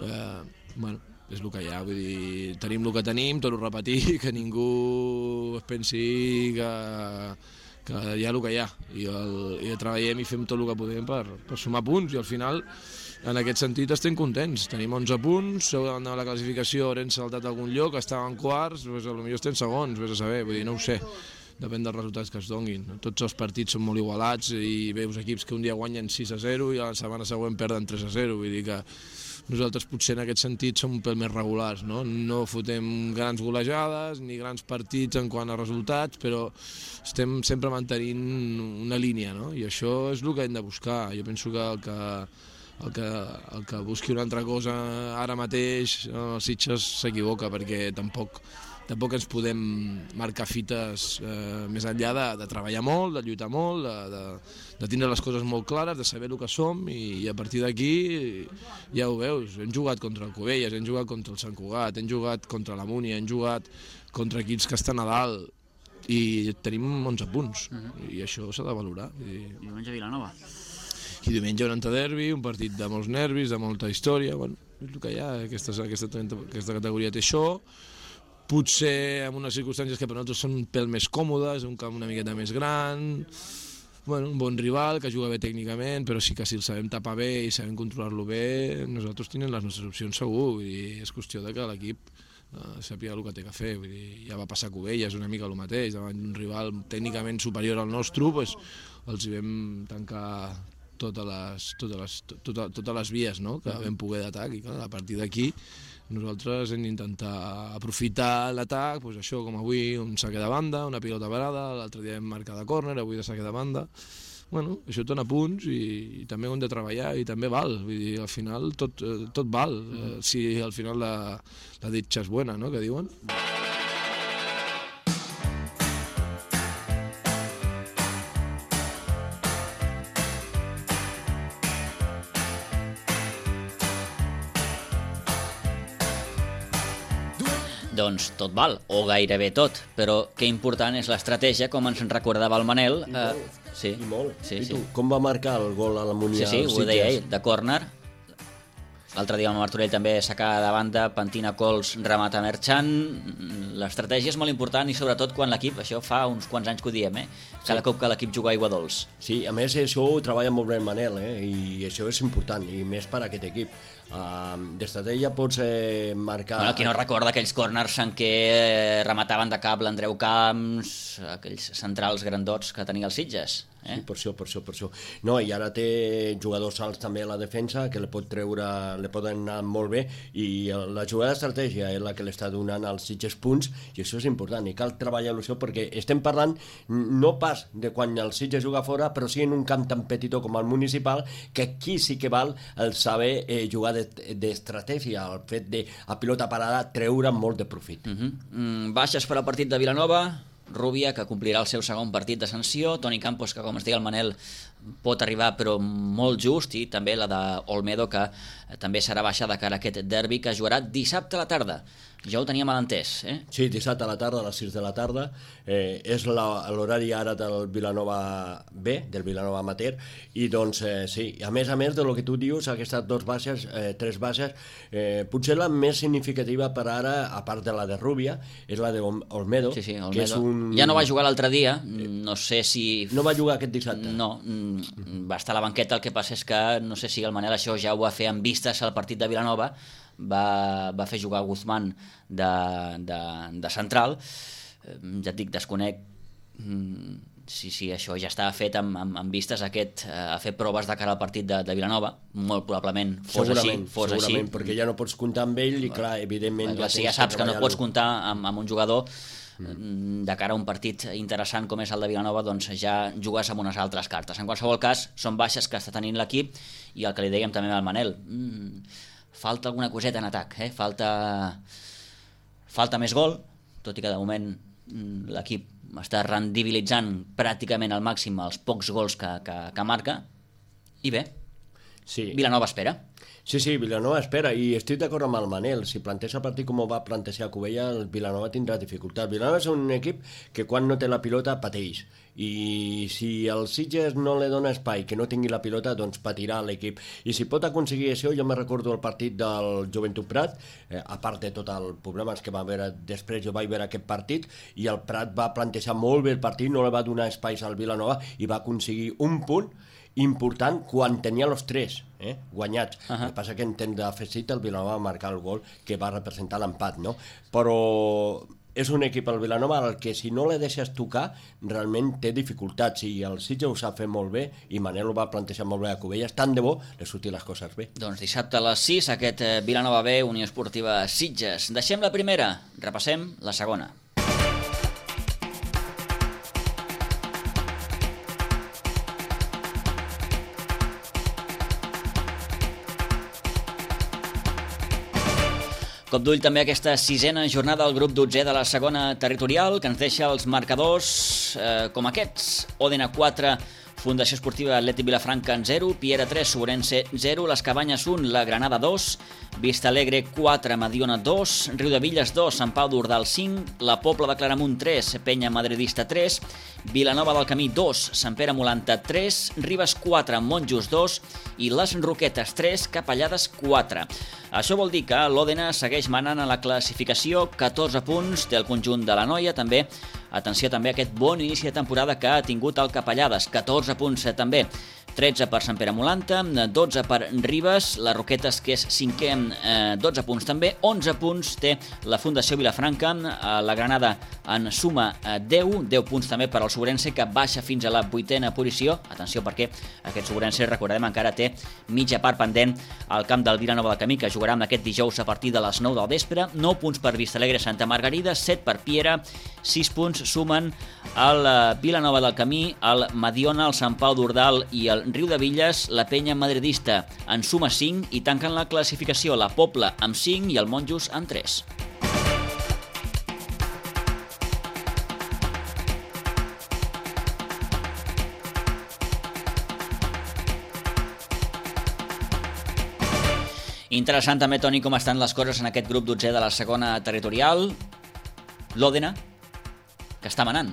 Eh, bueno, és el que hi ha, vull dir, tenim el que tenim, tot ho repetir, que ningú es pensi que, que hi ha el que hi ha i, el, i treballem i fem tot el que podem per, per sumar punts i al final en aquest sentit estem contents, tenim onze punts, seu davant de la classificació haurem saltat algun lloc, estàvem quarts, doncs potser estem segons, vés a saber, vull dir, no ho sé. Depèn dels resultats que es donguin. Tots els partits són molt igualats i veus equips que un dia guanyen sis a zero i a la setmana següent perden tres a zero. Vull dir que nosaltres potser en aquest sentit som un pèl més regulars, no? No fotem grans golejades ni grans partits en quant a resultats, però estem sempre mantenint una línia, no? I això és el que hem de buscar. Jo penso que el que, el que, el que busqui una altra cosa ara mateix els Sitges s'equivoca perquè tampoc tampoc ens podem marcar fites eh, més enllà de, de treballar molt, de lluitar molt, de, de, de tindre les coses molt clares, de saber el que som i, i a partir d'aquí ja ho veus, hem jugat contra el Cubelles, hem jugat contra el Sant Cugat, hem jugat contra la Múnia, hem jugat contra equips que estan a dalt i tenim onze punts uh-huh. I això s'ha de valorar. I, I diumenge a Vilanova. I diumenge un derbi, un partit de molts nervis, de molta història, bueno, és el que hi ha, aquesta, aquesta, aquesta categoria té això. Potser en unes circumstàncies que per nosaltres són un pèl més còmodes, un camp una miqueta més gran, bueno, un bon rival que juga bé tècnicament, però sí que si el sabem tapar bé i sabem controlar-lo bé, nosaltres tenim les nostres opcions segur, vull dir, és qüestió de que l'equip eh, sàpiga el que té que fer, vull dir, ja va passar a Cubelles una mica el mateix, davant d'un rival tècnicament superior al nostre, pues, els hi vam tancar totes les, totes les, totes, totes les vies, no?, que vam poder d'atac i clar, a partir d'aquí nosaltres hem d'intentar aprofitar l'atac, doncs això com avui un saque de banda, una pilota parada, l'altre dia hem marcat de córner, avui de saque de banda. Bueno, això et dona punts i, i també ho hem de treballar i també val, vull dir, al final tot, tot val, mm. si al final la, la ditxa és bona, no?, que diuen. Doncs tot val, o gairebé tot, però que important és l'estratègia, com ens recordava el Manel. I molt, eh, sí, i molt. Sí, I sí. tu, com va marcar el gol a la Munià? Sí, sí, ho deia ell, de córner. L'altre dia amb el Martorell també sacada de banda, pentina Cols, remata Merchant. L'estratègia és molt important i sobretot quan l'equip, això fa uns quants anys que ho diem, eh? Cada sí. cop que l'equip juga a aigua dolç. Sí, a més això ho treballa molt bé el Manel, eh? I això és important, i més per a aquest equip. Uh, D'estratègia pots eh, marcar... Bueno, qui no recorda aquells corners en què eh, remataven de cap l'Andreu Camps, aquells centrals grandots que tenia els Sitges. Eh? Sí, per això, per això, per això. No, i ara té jugadors alts també a la defensa que li pot treure, li poden anar molt bé, i la jugada d'estratègia és la que li està donant als Sitges punts, i això és important, i cal treballar-ho això, perquè estem parlant no pas de quan el Sitges juga fora, però sí en un camp tan petitó com el municipal, que aquí sí que val el saber eh, jugar d'estratègia, el fet de a pilota parada treure molt de profit. Uh -huh. mm, baixes per al partit de Vilanova, Rubia, que complirà el seu segon partit de sanció, Toni Campos, que com es deia el Manel pot arribar però molt just, i també la d'Olmedo, que també serà baixa de cara a aquest derbi que jugarà dissabte a la tarda. Ja ho tenia mal entès, eh? Sí, dissabte a la tarda, a les sis de la tarda. Eh, és l'horari ara del Vilanova B, del Vilanova Amateur, i doncs eh, sí, a més a més de lo que tu dius, aquestes dues baixes, eh, tres baixes, eh, potser la més significativa per ara, a part de la de Rubia, és la d'Olmedo. Sí, sí, Olmedo. Que és un... Ja no va jugar l'altre dia, no sé si... No va jugar aquest dissabte? No, va estar a la banqueta, el que passa és que no sé si el Manel això ja ho va fer amb vistes al partit de Vilanova, va, va fer jugar Guzmán de, de, de central. Ja et dic, desconec si, si això ja estava fet amb, amb, amb vistes a, aquest, a fer proves de cara al partit de, de Vilanova. Molt probablement fos segurament, així, fos segurament, així. perquè ja no pots comptar amb ell i clar, evidentment... Clar, si ja saps que no pots comptar amb, amb un jugador de cara a un partit interessant com és el de Vilanova, doncs ja jugues amb unes altres cartes. En qualsevol cas, són baixes que està tenint l'equip, i el que li dèiem també al Manel, mmm, falta alguna coseta en atac, eh? falta falta més gol, tot i que de moment l'equip està rendibilitzant pràcticament al màxim els pocs gols que, que, que marca, i bé, sí. Vilanova espera. Sí, sí, Vilanova espera, i estic d'acord amb el Manel. Si planteja el partit com ho va plantejar Cubella, el Vilanova tindrà dificultat. Vilanova és un equip que quan no té la pilota pateix, i si el Sitges no li dona espai, que no tingui la pilota, doncs patirà l'equip. I si pot aconseguir això, jo me recordo el partit del Joventut Prat, eh, a part de tot el problemes que va haver després, jo vaig veure aquest partit, i el Prat va plantejar molt bé el partit, no li va donar espais al Vilanova, i va aconseguir un punt important quan tenia els tres eh, guanyats. Uh -huh. El que passa que en temps d'afegit el Vilanova va marcar el gol que va representar l'empat, no? Però és un equip, el Vilanova, al que si no le deixes tocar realment té dificultats, i el Sitges ho sap fer molt bé, i Manel ho va plantejar molt bé a Cubelles, tant de bo le surtin les coses bé. Doncs dissabte a les sis, aquest Vilanova B, Unió Esportiva Sitges. Deixem la primera, repassem la segona. Cop d'ull també aquesta sisena jornada del grup dotzè de la segona territorial, que ens deixa els marcadors eh, com aquests. Òdena quatre, Fundació Esportiva Atlètic Vilafranca en zero, Piera tres, Sobrense zero, Les Cabanyes un, La Granada dos, Vista Alegre quatre, Mediona dos, Riudevilles dos, Sant Pau d'Ordal cinc, La Pobla de Claramunt tres, Penya Madridista tres, Vilanova del Camí dos, Sant Pere Molanta tres, Ribes quatre, Monjos dos i Les Roquetes tres, Capellades quatre. Això vol dir que l'Òdena segueix manant a la classificació, catorze punts té el conjunt de la Noia, també. Atenció també a aquest bon inici de temporada que ha tingut el Capellades, catorze punts també. tretze per Sant Pere Molanta, dotze per Ribes, les Roquetes, que és cinquè, eh, dotze punts també, onze punts té la Fundació Vilafranca, eh, la Granada en suma eh, deu, deu punts també per al Sobrense, que baixa fins a la vuitena posició. Atenció perquè aquest Sobrense, recordem, encara té mitja part pendent al camp del Vilanova del Camí, que jugarà amb aquest dijous a partir de les nou del vespre, nou punts per Vistalegre Santa Margarida, set per Piera, sis punts sumen el Vilanova del Camí, el Mediona, el Sant Pau d'Ordal i el Riudevilles, la Penya Madridista en suma cinc i tanquen la classificació la Pobla amb cinc i el Monjos amb tres. Interessant també, Toni, com estan les coses en aquest grup dotzè de la segona territorial. L'Òdena, que està manant.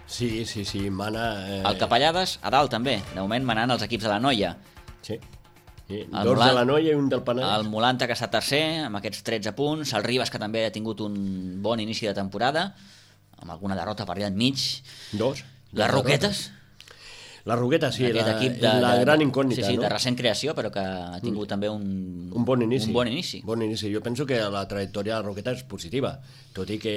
Sí, sí, sí, mana... Eh... El Capellades, a dalt també, de moment manant els equips de la Noia. Sí. Sí, dos Molant, de la Noia i un del Penedès. El Molanta, que està tercer, amb aquests tretze punts. El Ribes, que també ha tingut un bon inici de temporada, amb alguna derrota per allà enmig. Dos. Les Roquetes. La Roqueta, sí, la, equip de, la de, gran incògnita, sí, sí, no? de recent creació, però que ha tingut mm. també un, un bon inici. Un bon inici. Bon inici. Jo penso que la trajectòria de la Roqueta és positiva, tot i que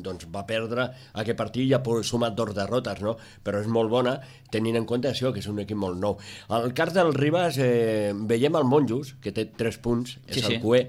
doncs, va perdre aquest partit i ha sumat dos derrotes, no? Però és molt bona, tenint en compte això, que és un equip molt nou. Al cas del Ribas eh, veiem el Monjos, que té tres punts, és sí, el sí. cué,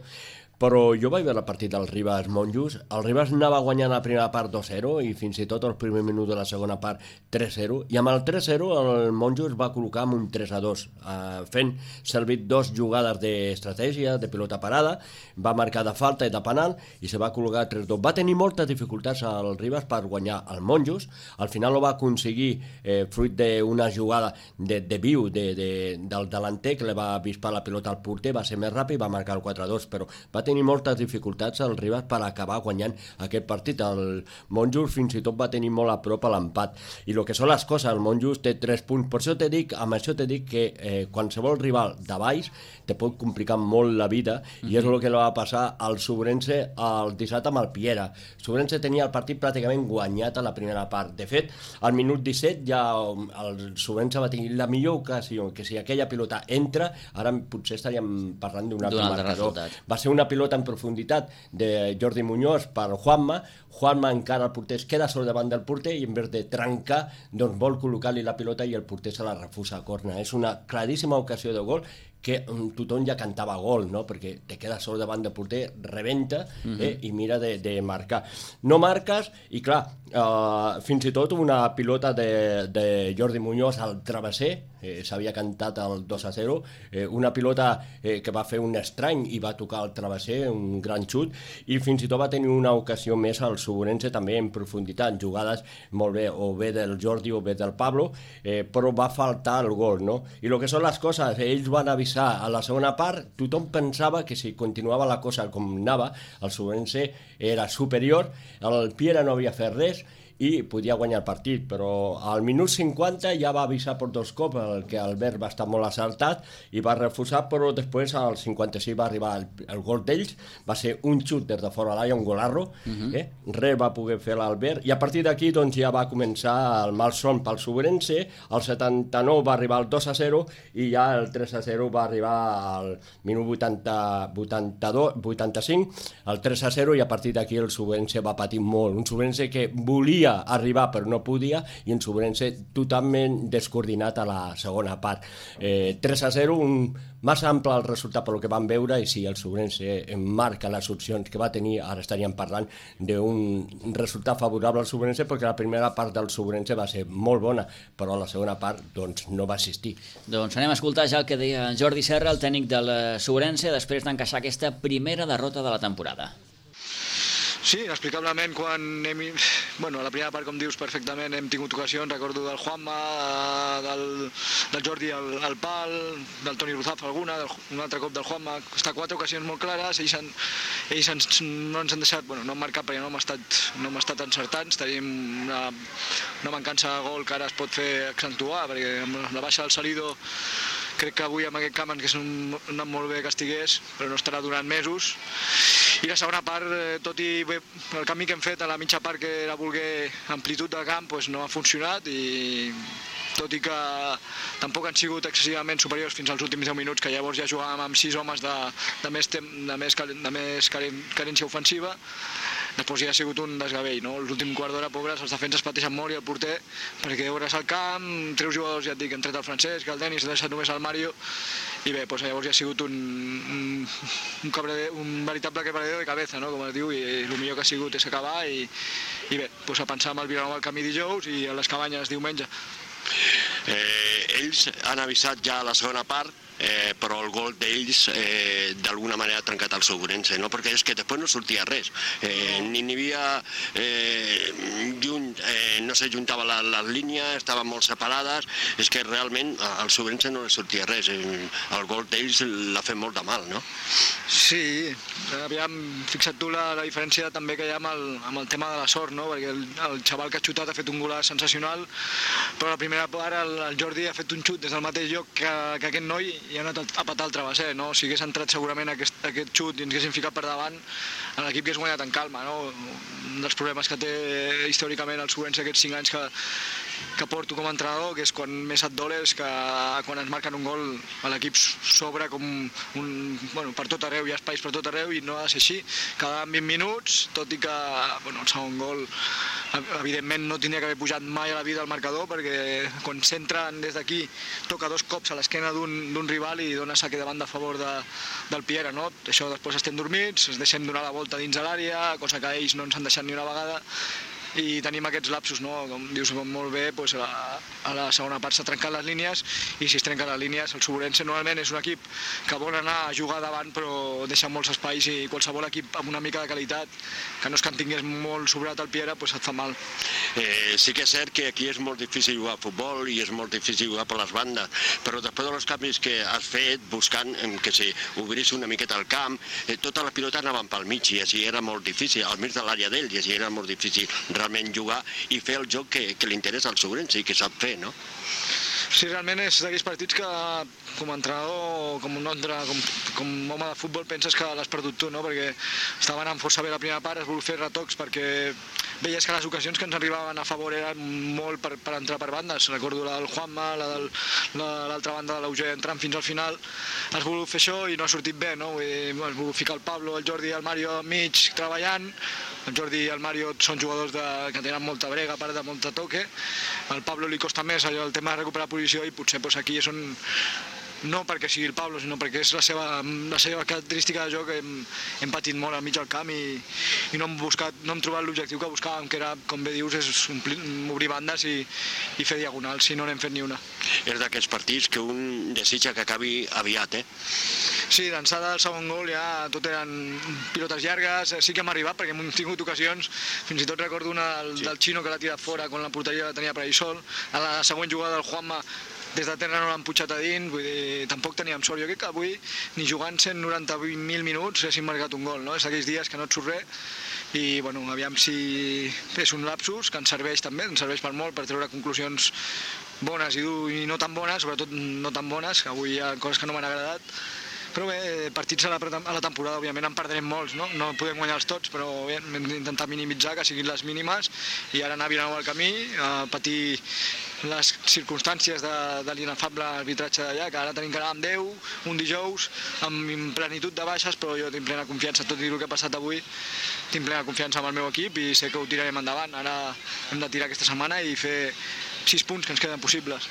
però jo vaig veure el partit del Ribas Monjos. El Ribas anava guanyant la primera part dos zero i fins i tot el primer minut de la segona part tres zero, i amb el tres zero el Monjos va col·locar amb un tres a dos, eh, fent servir dos jugades d'estratègia, de pilota parada, va marcar de falta i de penal i se va col·locar tres dos. Va tenir moltes dificultats al Ribas per guanyar el Monjos. Al final ho va aconseguir eh, fruit d'una jugada de, de viu de, de, del delanter, que li va avispar la pilota al porter, va ser més ràpid i va marcar el quatre a dos, però va tenir moltes dificultats al Ribas per acabar guanyant aquest partit. El Monjos fins i tot va tenir molt a prop a l'empat. I el que són les coses, el Monjos té tres punts. Per això te dic, amb això te dic que eh, qualsevol rival de baix te pot complicar molt la vida, mm-hmm. i és el que li va passar al Sobrense el dissabte amb el Piera. Sobrense tenia el partit pràcticament guanyat a la primera part. De fet, al minut disset ja el Sobrense va tenir la millor ocasió, que si aquella pilota entra, ara potser estaríem parlant d'un altre marcador. Va ser una pilota en profunditat de Jordi Muñoz per Juanma. Juanma encara el porter es queda sol davant del porter i en vez de trencar doncs vol col·locar-li la pilota i el porter se la refusa a corna. És una claríssima ocasió de gol que tothom ja cantava gol, no? Perquè te quedes sol davant del porter, rebenta eh? uh-huh. i mira de, de marcar. No marques i clar, eh, fins i tot una pilota de, de Jordi Muñoz al travesser, eh, s'havia cantat el dos a zero, eh, una pilota eh, que va fer un estrany i va tocar el travesser, un gran xut, i fins i tot va tenir una ocasió més al Sobrense també en profunditat, jugades molt bé, o bé del Jordi o bé del Pablo, eh, però va faltar el gol, no? I el que són les coses, ells van avisar a la segona part, tothom pensava que si continuava la cosa com anava, el Sobrense era superior, el Piera no havia fet res i podia guanyar el partit, però al minut cinquanta ja va avisar per dos cops, el que Albert va estar molt assaltat i va refusar, però després al cinquanta-sis va arribar el, el gol d'ells, va ser un xut des de fora l'aire, un golarro, uh-huh. eh? res va poder fer l'Albert, i a partir d'aquí doncs, ja va començar el malson pel Sobrense, al setanta-nou va arribar el dos a zero i ja el tres a zero va arribar al minut vuitanta, vuitanta-dos, vuitanta-cinc, el tres a zero, i a partir d'aquí el Sobrense va patir molt, un Sobrense que volia arribar però no podia, i en Sobrense totalment descoordinat a la segona part. Eh, tres a zero, un massa ample el resultat pel que vam veure, i si el Sobrense marca les opcions que va tenir, ara estaríem parlant d'un resultat favorable al Sobrense, perquè la primera part del Sobrense va ser molt bona, però la segona part doncs, no va assistir. Doncs anem a escoltar ja el que deia Jordi Serra, el tècnic del Sobrense, després d'encaixar aquesta primera derrota de la temporada. Sí, inexplicablement, quan hem... Bueno, a la primera part, com dius perfectament, hem tingut ocasions, recordo del Juanma, del, del Jordi al, al pal, del Toni Ruzaf alguna, del, un altre cop del Juanma, està quatre ocasions molt clares, ells, han, ells ens, no ens han deixat, bueno, no han marcat perquè no hem estat, no hem estat encertats, tenim una, una mancança de gol que ara es pot fer accentuar, perquè amb la baixa del Salido crec que avui amb aquest camp ens hauria anat molt bé que estigués, però no estarà durant mesos. I la segona part, tot i bé, el canvi que hem fet a la mitja part, que era voler amplitud de camp, doncs no ha funcionat, i tot i que tampoc han sigut excessivament superiors fins als últims deu minuts, que llavors ja jugàvem amb sis homes de, de més, tem, de més, de més carència ofensiva, després ja ha sigut un desgavell, no? L'últim quart d'hora, pobres, els defenses pateixen molt i el porter, perquè obres al camp, treus jugadors, ja et dic, han tret el Francesc, el Denis, ha deixat només el Mario, i bé, doncs llavors ja ha sigut un, un, un, cabrede, un veritable quebradero de cabeza, no? Com es diu, i el millor que ha sigut és acabar, i, i bé, doncs a pensar amb el Vilanova al camí dijous i a les Cabanyes diumenge. Eh, ells han avisat ja a la segona part eh, però el gol d'ells eh, d'alguna manera ha trencat el seu Ourense, no? Perquè és que després no sortia res, eh, ni n'hi havia eh, junt, eh, no se juntava la, les línies, estaven molt separades, és que realment al seu Ourense no li sortia res, eh, el gol d'ells l'ha fet molt de mal, no? Sí, aviam, fixa't tu la, la diferència també que hi ha amb el, amb el tema de la sort, no? Perquè el, el xaval que ha xutat ha fet un golaç sensacional, però a la primera part el, el Jordi ha fet un xut des del mateix lloc que, que aquest noi i ha anat a patar el travesser, no? Si hagués entrat segurament aquest, aquest xut i ens haguessin ficat per davant, l'equip hagués guanyat en calma, no? Un dels problemes que té històricament el Ourense aquests cinc anys que, que porto com a entrenador, que és quan més et dol és que quan ens marquen un gol l'equip s'obre com un, bueno, per tot arreu, hi ha espais per tot arreu i no ha de ser així. Quedaven vint minuts, tot i que bueno, el segon gol evidentment no tindria que haver pujat mai a la vida el marcador, perquè quan s'entren des d'aquí toca dos cops a l'esquena d'un rival i dona saque de banda a favor de, del Piera, no? Això després estem dormits, ens deixem donar la volta dins de l'àrea, cosa que ells no ens han deixat ni una vegada, i tenim aquests lapsos, no? Com dius molt bé, doncs a, la, a la segona part s'ha trencat les línies i si es trenquen les línies el Ourense normalment és un equip que vol anar a jugar davant però deixa molts espais i qualsevol equip amb una mica de qualitat que no és que en tingués molt sobrat el Piera doncs et fa mal. Eh, sí que és cert que aquí és molt difícil jugar a futbol i és molt difícil jugar per les bandes, però després dels canvis que has fet buscant que si obrís una miqueta el camp, eh, totes les pilotes anaven pel mig i així era molt difícil, al mig de l'àrea d'ells, i així era molt difícil realment jugar i fer el joc que, que li interessa al Ourense i que sap fer, no? Sí, realment és d'aquells partits que com a entrenador, com un altre, com, com home de futbol penses que l'has perdut tu, no? Perquè estaven anant força bé la primera part, es vol fer retocs perquè veies que les ocasions que ens arribaven a favor eren molt per, per entrar per bandes. Recordo la del Juanma, la de l'altra banda de l'Auger entrant fins al final. Has volgut fer això i no ha sortit bé, no? Vull dir, has volgut ficar el Pablo, el Jordi i el Mario al mig treballant. El Jordi i el Mario són jugadors de, que tenen molta brega, a part de molta toque. Al Pablo li costa més allò, el tema de recuperar posició i potser doncs, aquí és on no perquè sigui el Pablo, sinó perquè és la seva, la seva característica de joc. Hem, hem patit molt al mig del camp i, i no hem buscat, no hem trobat l'objectiu que buscàvem, que era, com bé dius, és omplir, obrir bandes i, i fer diagonals, si no n'hem fet ni una. És d'aquests partits que un desitja que acabi aviat, eh? Sí, d'ençada del segon gol ja tot eren pilotes llargues, sí que hem arribat perquè hem tingut ocasions, fins i tot recordo una del, sí. del Xino que l'ha tirat fora quan la porteria la tenia per ahí sol, a la següent jugada del Juanma des de terra no l'han putxat a dins, vull dir, tampoc teníem sort. Jo crec que avui, ni jugant cent noranta-vuit mil minuts, haguéssim marcat un gol, no? És aquells dies que no et surt res i, bueno, aviam si és un lapsus, que ens serveix també, ens serveix per molt, per treure conclusions bones i, i no tan bones, sobretot no tan bones, que avui hi ha coses que no m'han agradat. Però bé, partits a la, a la temporada, òbviament, en perdrem molts, no? No podem guanyar-los tots, però bé, hem d'intentar minimitzar, que siguin les mínimes, i ara anar a Vilanova al camí, a patir les circumstàncies de, de l'inefable arbitratge d'allà, que ara tenim que anar amb deu, un dijous, amb plenitud de baixes, però jo tinc plena confiança, tot i el que ha passat avui, tinc plena confiança amb el meu equip i sé que ho tirarem endavant. Ara hem de tirar aquesta setmana i fer sis punts que ens queden possibles.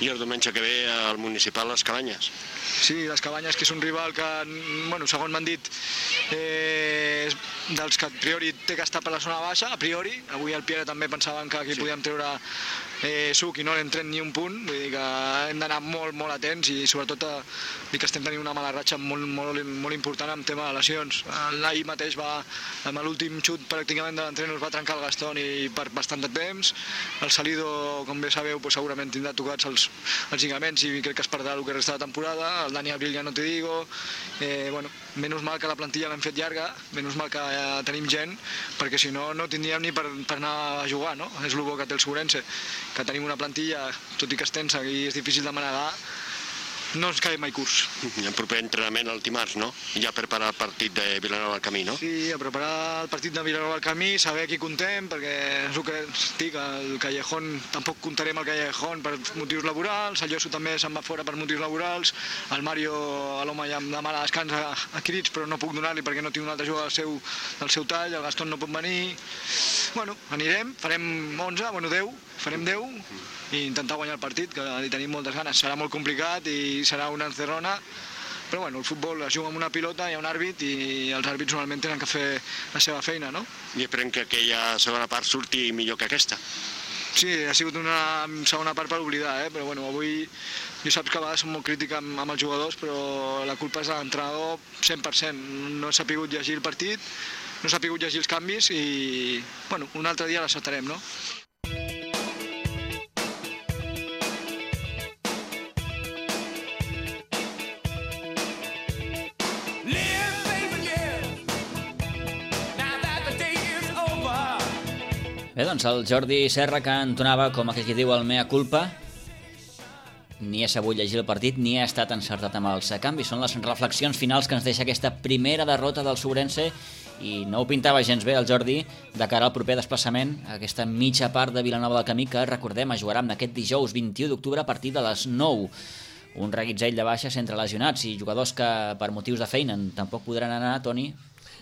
I el diumenge que ve al municipal Les Cabanyes. Sí, Les Cabanyes, que és un rival que, bueno, segons m'han dit, eh, és dels que a priori té que estar per la zona baixa, a priori. Avui el Piera també pensaven que aquí sí. podíem treure eh, suc i no n'hem tret ni un punt, vull dir que hem d'anar molt, molt atents i sobretot a dir que estem tenint una mala ratxa molt, molt, molt important en tema de lesions. L'ahir mateix va, amb l'últim xut pràcticament de l'entrenador es va trencar el Gastón i per bastant de temps. El Salido, com bé sabeu, pues, segurament tindrà tocats els, els lligaments i crec que es perdrà el que resta de temporada. El Dani Abril ja no te digo. Eh, bueno, menys mal que la plantilla l'hem fet llarga, menys mal que eh, tenim gent, perquè si no, no tindríem ni per, per anar a jugar, no? És el bo que té el Ourense, que tenim una plantilla, tot i que és tensa i és difícil de manegar, no ens cae mai curs. El proper entrenament el dimarts, no? Ja preparar el partit de Vilanova del Camí, no? Sí, a preparar el partit de Vilanova del Camí, saber qui contem, perquè és el que estic, el Callejón, tampoc comptarem el Callejón per motius laborals, el Lloso també se'n va fora per motius laborals, el Mario, l'home ja em demana descans a, a crits, però no puc donar-li perquè no tinc un altre jugador del seu, del seu tall, el Gastón no pot venir. Bueno, anirem, farem onze, bueno, deu, farem deu, i intentar guanyar el partit, que hi tenim moltes ganes. Serà molt complicat i serà una encerrona, però bueno, el futbol es juga amb una pilota, hi ha un àrbit i els àrbits normalment tenen que fer la seva feina, no? I esperem que aquella segona part surti millor que aquesta. Sí, ha sigut una segona part per oblidar, eh? Però bueno, avui jo saps que a vegades som molt crític amb, amb els jugadors, però la culpa és de l'entrenador cent per cent. No s'ha pogut llegir el partit, no s'ha pogut llegir els canvis i bueno, un altre dia l'acceptarem, no? Bé, doncs el Jordi Serra, que entonava, com aquell que diu, el mea culpa, ni ha sabut llegir el partit ni ha estat encertat amb els canvis. Són les reflexions finals que ens deixa aquesta primera derrota del Sobrense i no ho pintava gens bé el Jordi de cara al proper desplaçament, aquesta mitja part de Vilanova del Camí que, recordem, es jugarà aquest dijous vint-i-u d'octubre a partir de les nou. Un reguitzell de baixes entre lesionats i jugadors que per motius de feina tampoc podran anar, Toni.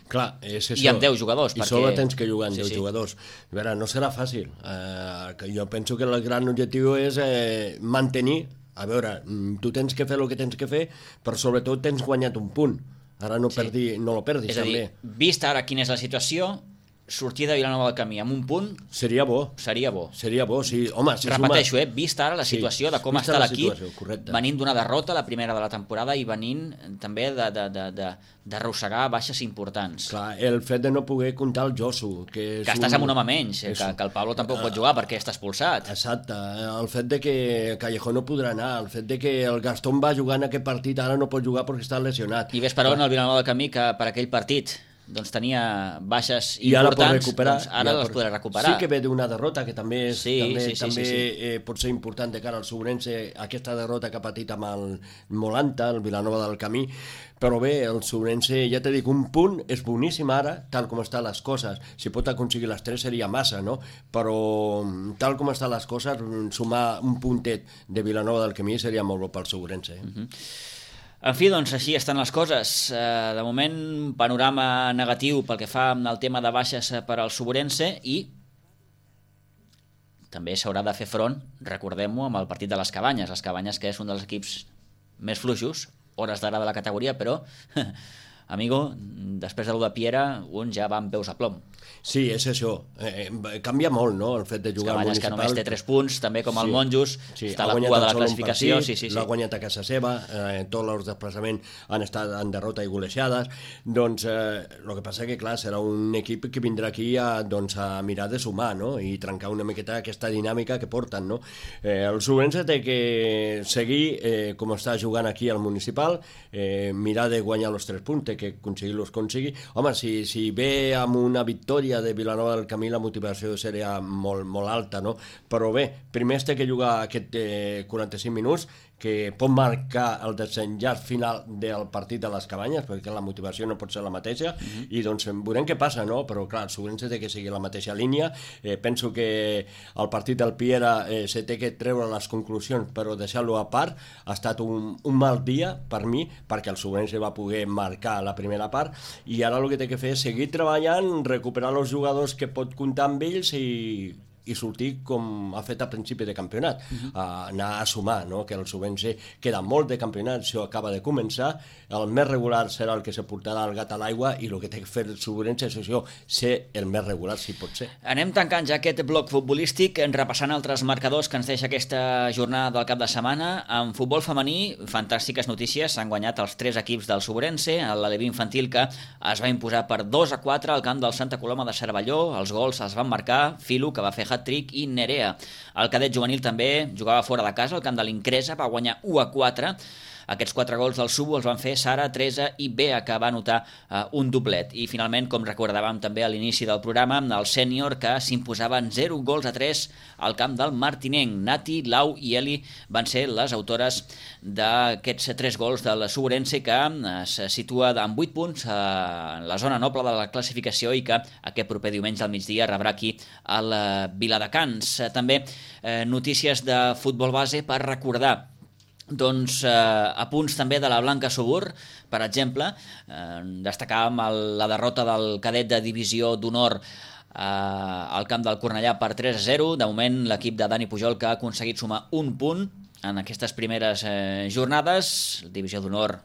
Clar, és això. I amb deu jugadors. I perquè... sobre tens que jugar amb sí, deu sí. jugadors. A veure, no serà fàcil. Eh, jo penso que el gran objectiu és eh, mantenir. A veure, tu tens que fer el que tens que fer, però sobretot tens guanyat un punt. Ara no, sí. perdi, no lo perdis, és també. És a dir, vista ara quina és la situació, sortir de Vilanova del Camí amb un punt... Seria bo. Seria bo. Seria bo, sí. Home, si repeteixo, suma... eh? Vista ara la situació sí, de com està l'equip, venint d'una derrota, la primera de la temporada, i venint també d'arrossegar baixes importants. Clar, el fet de no poder comptar el Josu, que és que estàs un... amb un home menys, que, que el Pablo tampoc pot jugar perquè està expulsat. Exacte. El fet de que Callejón no podrà anar, el fet de que el Gastón va jugar en aquest partit, ara no pot jugar perquè està lesionat. I ves per on el Vilanova del Camí que per aquell partit doncs tenia baixes I importants, ara, doncs ara les podrà recuperar. Sí que ve d'una derrota, que també, és, sí, també, sí, sí, també sí, sí. Eh, pot ser important de cara al Sobrense, aquesta derrota que ha patit amb el Molanta, el Vilanova del Camí, però bé, el Sobrense, ja t'he dit, un punt és boníssim ara, tal com estan les coses. Si pot aconseguir les tres seria massa, no? Però tal com estan les coses, sumar un puntet de Vilanova del Camí seria molt bo pel Sobrense. Eh? Uh-huh. En fi, doncs així estan les coses. De moment, panorama negatiu pel que fa al tema de baixes per al Sobrense i també s'haurà de fer front, recordem-ho, amb el partit de les Cabanyes. Les Cabanyes, que és un dels equips més fluixos, hores d'ara de la categoria, però, amigo, després de l'u de Piera, un ja va amb peus a plom. Sí, és això. Eh, canvia molt, no?, el fet de jugar al municipal. Que només té tres punts, també com el sí, Monjos, sí, està a la cua de la classificació. Partit, sí, sí, sí. L'ha guanyat a casa seva, eh, tots els desplaçaments han estat en derrota i golejades. Doncs eh, el que passa que, clar, serà un equip que vindrà aquí a, doncs, a mirar de sumar, no?, i trencar una miqueta aquesta dinàmica que porten, no? Eh, el Sobrense té que seguir eh, com està jugant aquí al municipal, eh, mirar de guanyar els tres punts, té que aconseguir-los aconseguir. Home, si, si ve amb una victòria de Vilanova del Camí, la motivació seria molt, molt alta, no? Però bé, primer es té que jugar aquest eh, quaranta-cinc minuts, que pot marcar el desenllaç final del partit de les Cabanyes, perquè la motivació no pot ser la mateixa, mm-hmm. i doncs veurem què passa, no? Però clar, el Sobrense té que seguir la mateixa línia. Eh, penso que el partit del Piera eh, se té que treure les conclusions, però deixar-lo a part. Ha estat un, un mal dia per mi, perquè el Sobrense va poder marcar la primera part, i ara el que té que fer és seguir treballant, recuperar els jugadors que pot comptar amb ells i i sortir com ha fet a principi de campionat, uh-huh. a anar a sumar, no? Que el Sobrense queda molt de campionat, això acaba de començar, el més regular serà el que se portarà el gat a l'aigua i el que té que fer el Sobrense és això, ser el més regular, si pot ser. Anem tancant ja aquest bloc futbolístic, repassant altres marcadors que ens deixa aquesta jornada del cap de setmana. En futbol femení, fantàstiques notícies, s'han guanyat els tres equips del Sobrense, l'Aleví infantil que es va imposar per dos a quatre al camp del Santa Coloma de Cervelló, els gols els van marcar Filo, que va fer hat-trick, i Nerea. El cadet juvenil també jugava fora de casa, al camp de l'Incresa, va guanyar u a quatre. Aquests quatre gols del Subo els van fer Sara, Teresa i Bea, que va anotar uh, un doblet. I finalment, com recordàvem també a l'inici del programa, el sènior que s'imposaven zero gols a tres al camp del Martinenc. Nati, Lau i Eli van ser les autores d'aquests tres gols del Sobrense, que es situa amb vuit punts en la zona noble de la classificació i que aquest proper diumenge al migdia rebrà aquí al Viladecans. També eh, notícies de futbol base per recordar. Doncs eh, a punts també de la Blanca Subur, per exemple, eh, destacàvem el, la derrota del cadet de divisió d'honor eh, al camp del Cornellà per tres a zero. De moment l'equip de Dani Pujol, que ha aconseguit sumar un punt en aquestes primeres eh, jornades. Divisió d'honor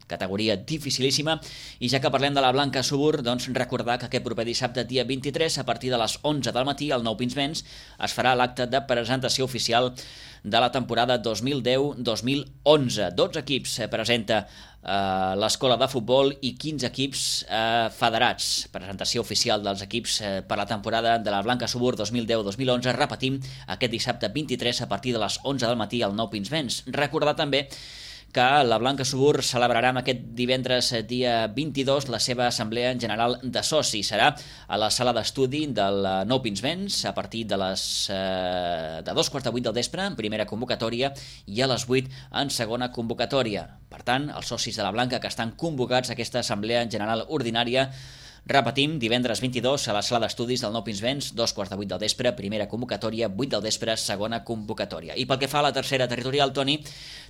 categoria dificilíssima. I ja que parlem de la Blanca Subur, doncs recordar que aquest proper dissabte, dia vint-i-tres, a partir de les onze del matí, al Nou Pinsbens, es farà l'acte de presentació oficial de la temporada dos mil deu dos mil onze. dotze equips presenta eh, l'escola de futbol i quinze equips eh, federats. Presentació oficial dels equips eh, per la temporada de la Blanca Subur dos mil deu dos mil onze. Repetim, aquest dissabte vint-i-tres a partir de les onze del matí al Nou Pinsbens. Recordar també que la Blanca Subur celebrarà aquest divendres dia vint-i-dos la seva assemblea general de socis. Serà a la sala d'estudi del Nou Pinsbens a partir de les eh, de dos quarts de vuit del vespre en primera convocatòria i a les vuit en segona convocatòria. Per tant, els socis de la Blanca que estan convocats a aquesta assemblea general ordinària, repetim, divendres vint-i-dos a la sala d'estudis del Nou Pinsbens, dos quarts de vuit del vespre, primera convocatòria, vuit del vespre, segona convocatòria. I pel que fa a la tercera territorial, Toni,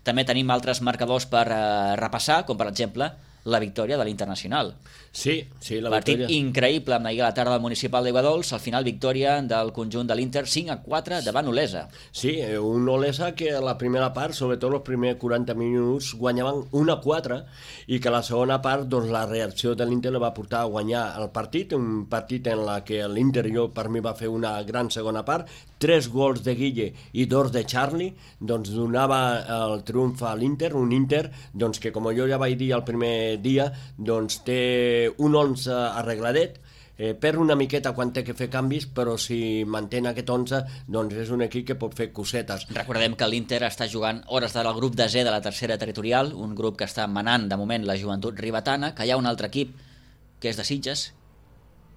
també tenim altres marcadors per eh, repassar, com per exemple la victòria de l'Internacional. Sí, sí, la Partit victòria. increïble amb ahir a la tarda del municipal d'Aiguadols, al final victòria del conjunt de l'Inter cinc a quatre davant Olesa. Sí, un Olesa que a la primera part, sobretot els primers quaranta minuts, guanyaven un a quatre i que a la segona part doncs, la reacció de l'Inter va portar a guanyar el partit, un partit en la que l'Inter jo per mi va fer una gran segona part, tres gols de Guille i dos de Charlie, doncs donava el triomf a l'Inter, un Inter doncs, que com jo ja vaig dir el primer dia, doncs té un onze arregladet, eh, perd una miqueta quan té que fer canvis, però si mantén aquest onze, doncs és un equip que pot fer cosetes. Recordem que l'Inter està jugant hores del grup de Z de la tercera territorial, un grup que està manant de moment la joventut ribetana, que hi ha un altre equip que és de Sitges,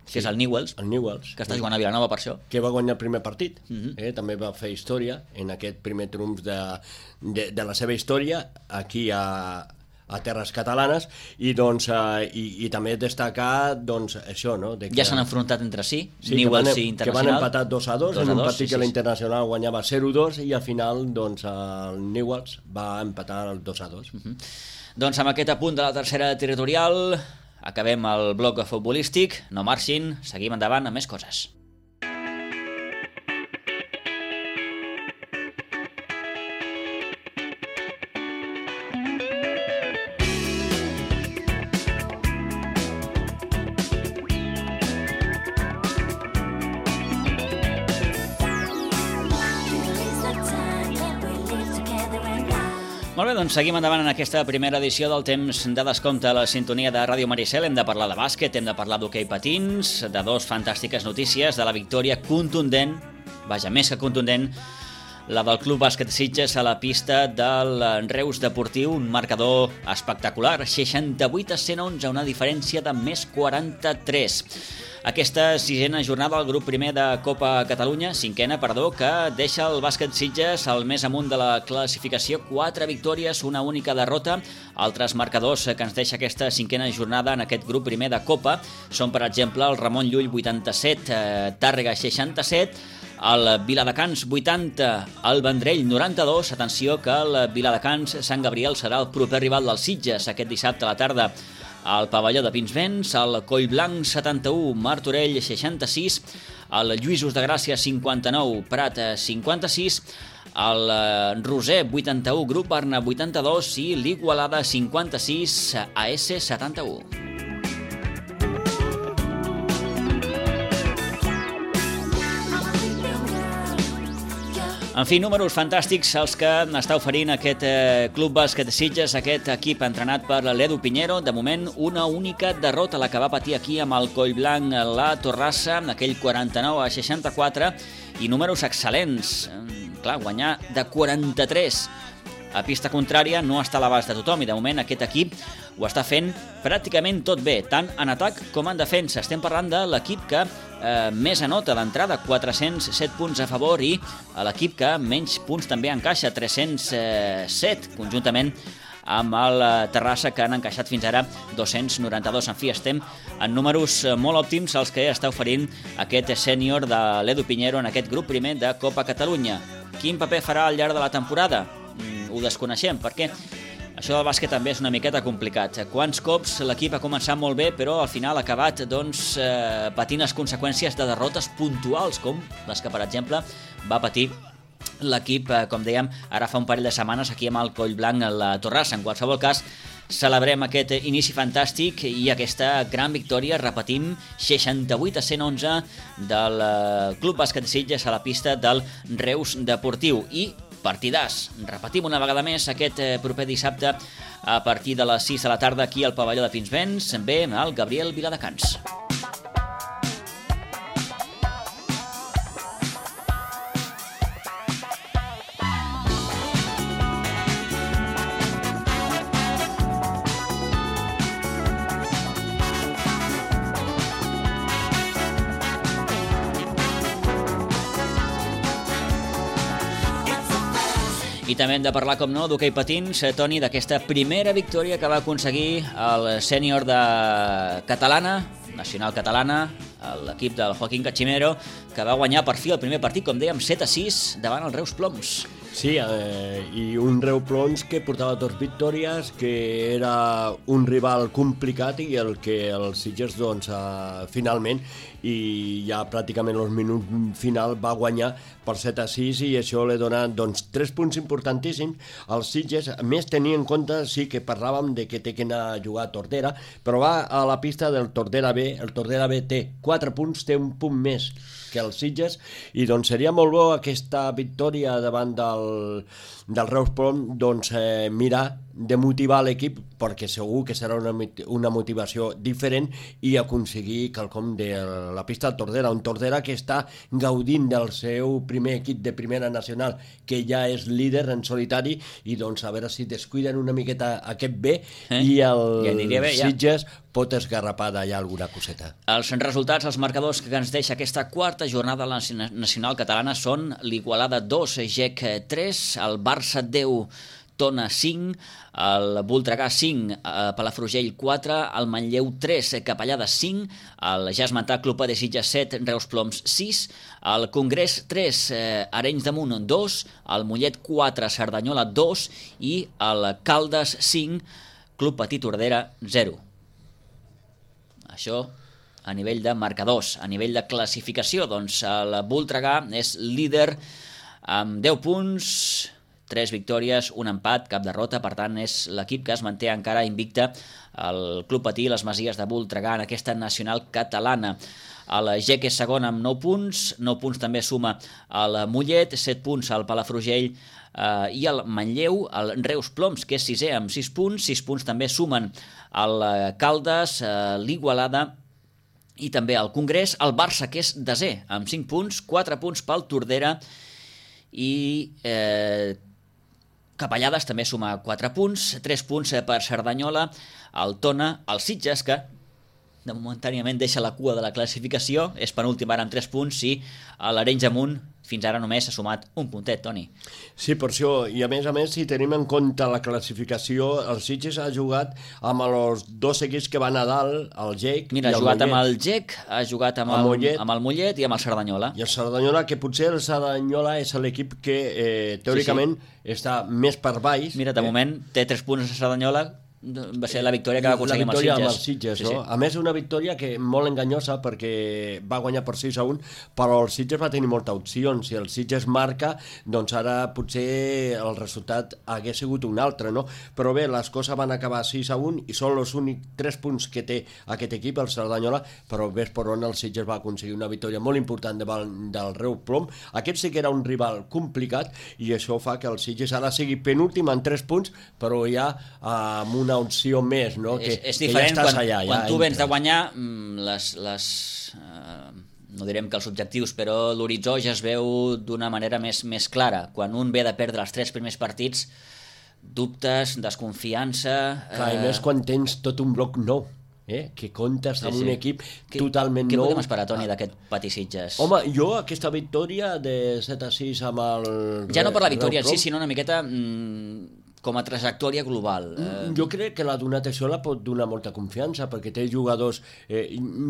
que Sí, és el Newells, el Newells, que està jugant a Vilanova per això. que va guanyar el primer partit. Uh -huh. eh, també va fer història en aquest primer triomf de, de, de la seva història aquí a, a terres catalanes i, doncs, eh, i, i també destacar doncs, això, no? De que, Ja s'han enfrontat entre si, sí, Newells que i van, Internacional. que van empatar dos a dos en un partit sí, que sí, l'Internacional guanyava zero a dos i al final doncs, el Newells va empatar el dos a dos. Uh -huh. Doncs amb aquest apunt de la tercera territorial acabem el bloc futbolístic. No marxin, seguim endavant amb més coses. Molt bé, doncs seguim endavant en aquesta primera edició del temps de descompte a la sintonia de Ràdio Maricel. Hem de parlar de bàsquet, hem de parlar d'hoquei patins, de dos fantàstiques notícies, de la victòria contundent, vaja, més que contundent, la del Club Bàsquet Sitges a la pista del Reus Deportiu, un marcador espectacular, seixanta-vuit a cent onze, una diferència de més quaranta-tres. Aquesta sisena jornada al grup primer de Copa Catalunya, cinquena, perdó, que deixa el bàsquet Sitges al més amunt de la classificació, quatre victòries, una única derrota. Altres marcadors que ens deixa aquesta cinquena jornada en aquest grup primer de Copa són, per exemple, el Ramon Llull vuitanta-set, eh, Tàrrega seixanta-set, el Viladecans vuitanta, el Vendrell noranta-dos. Atenció que el Viladecans Sant Gabriel serà el proper rival del Sitges aquest dissabte a la tarda al pavelló de Pinsbens. El Collblanc setanta-u, Martorell seixanta-sis, el Lluïsos de Gràcia cinquanta-nou, Prat cinquanta-sis, el Roser vuitanta-u, Grup Barna vuitanta-dos i l'Igualada cinquanta-sis, A S setanta-u. En fi, números fantàstics els que està oferint aquest eh, Club Bàsquet Sitges, aquest equip entrenat per l'Edu Piñero. De moment, una única derrota, la que va patir aquí amb el Collblanc la Torrassa, aquell quaranta-nou a seixanta-quatre, i números excel·lents. Clar, guanyar de quaranta-tres a pista contrària no està a l'abast de tothom, i de moment aquest equip ho està fent pràcticament tot bé, tant en atac com en defensa. Estem parlant de l'equip que eh, més anota d'entrada, quatre-cents set punts a favor, i l'equip que menys punts també encaixa, tres-cents set, conjuntament amb el Terrassa, que han encaixat fins ara dos-cents noranta-dos. En fi, estem en números molt òptims els que està oferint aquest sènior de l'Edu Piñero en aquest grup primer de Copa Catalunya. Quin paper farà al llarg de la temporada? Mm, ho desconeixem, perquè això del bàsquet també és una miqueta complicat. Quants cops l'equip ha començat molt bé, però al final ha acabat doncs, eh, patint les conseqüències de derrotes puntuals, com les que, per exemple, va patir l'equip, eh, com dèiem, ara fa un parell de setmanes aquí amb el Collblanc a la Torrassa. En qualsevol cas, celebrem aquest inici fantàstic i aquesta gran victòria, repetim, seixanta-vuit a cent onze del Club Bàsquet Sitges a la pista del Reus Deportiu. I partidàs, repetim una vegada més aquest proper dissabte a partir de les sis de la tarda aquí al pavelló de Pinsbens, ve el Gabriel Viladecans. I també hem de parlar, com no, d'hoquei patins, Toni, d'aquesta primera victòria que va aconseguir el sènior de Catalana, nacional catalana, l'equip del Joaquín Cachimero, que va guanyar per fi el primer partit, com dèiem, set a sis davant el Reus Ploms. Sí, eh, i un Reus Ploms que portava dos victòries, que era un rival complicat i el que el Sitges, doncs, eh, finalment, i ja pràcticament al minut final va guanyar per set a sis i això li dona, doncs, tres punts importantíssims als Sitges. A més, tenir en compte, sí que parlàvem de que té que anar a jugar a Tordera, però va a la pista del Tordera B, el Tordera B té quatre punts, té un punt més que els Sitges, i doncs seria molt bo aquesta victòria davant del, del Reus Ploms, doncs eh, mirar de motivar l'equip, perquè segur que serà una, una motivació diferent, i aconseguir quelcom de la pista del Tordera, un Tordera que està gaudint del seu primer equip de primera nacional, que ja és líder en solitari, i doncs a veure si descuiden una miqueta aquest B, eh? i el ja bé, ja. Sitges pot esgarrapar d'allà alguna coseta. Els resultats, els marcadors que ens deixa aquesta quarta jornada nacional catalana són l'Igualada dos, G E C tres, el Barça deu, Tona cinc, el Voltregà cinc, Palafrugell quatre, el Manlleu tres, Capellada cinc, el ja esmentat Club de Sitges set, Reus Ploms sis, el Congrés tres, Arenys de Munt dos, el Mollet quatre, Cerdanyola dos i el Caldes cinc, Club Petit Tordera zero. Això a nivell de marcadors. A nivell de classificació, doncs el Voltregà és líder amb deu punts, tres victòries, un empat, cap derrota, per tant és l'equip que es manté encara invicte el Club Patí, les Masies de Voltregà en aquesta nacional catalana. El G E C és segon amb nou punts, nou punts també suma el Mollet, set punts al Palafrugell eh, i el Manlleu, el Reus Ploms, que és sisè amb sis punts, sis punts també sumen el Caldes, eh, l'Igualada i també el Congrés, el Barça, que és desè amb cinc punts, quatre punts pel Tordera i eh, Capellades també suma quatre punts, tres punts per Cerdanyola, el Tona, el Sitges, que de momentàniament deixa la cua de la classificació, és penúltim ara amb tres punts, i l'Arenys de Munt fins ara només s'ha sumat un puntet, Toni. Sí, per això, i a més a més, si tenim en compte la classificació, el Sitges ha jugat amb els dos equips que van a dalt, el G E C Mira, i el Mollet. ha jugat amb el G E C, ha jugat amb el, el, Mollet, amb el Mollet i amb el Cerdanyola. I el Cerdanyola, que potser el Cerdanyola és l'equip que eh, teòricament sí, sí. està més per baix. Mira, de eh, moment té tres punts a Cerdanyola, va ser la victòria que va aconseguir amb els Sitges. Amb els Sitges sí, no? sí. A més, una victòria que molt enganyosa perquè va guanyar per sis a un, però el Sitges va tenir molta opció. Si el Sitges marca, doncs ara potser el resultat hagués sigut un altre, no? Però bé, les coses van acabar sis a un i són els únics tres punts que té aquest equip, el Cerdanyola, però ves per on el Sitges va aconseguir una victòria molt important davant del Reus Ploms. Aquest sí que era un rival complicat i això fa que el Sitges ara sigui penúltim en tres punts, però ja amb un una opció més, no? Que, és, és diferent que ja quan, allà, quan ja tu vens entres. de guanyar les, les eh, no direm que els objectius, però l'horitzó ja es veu d'una manera més, més clara. Quan un ve de perdre els tres primers partits, dubtes, desconfiança... Clar, eh... i més quan tens tot un bloc nou, eh? Que comptes amb sí, sí. un equip que, totalment què nou. Què podem esperar, Toni, d'aquest Patí Sitges? Home, jo aquesta victòria de set a sis amb el... Ja no per la victòria en sí, sinó una miqueta... Mm, com a trajectòria global. Eh... Jo crec que la donat això la pot donar molta confiança, perquè té jugadors... Eh,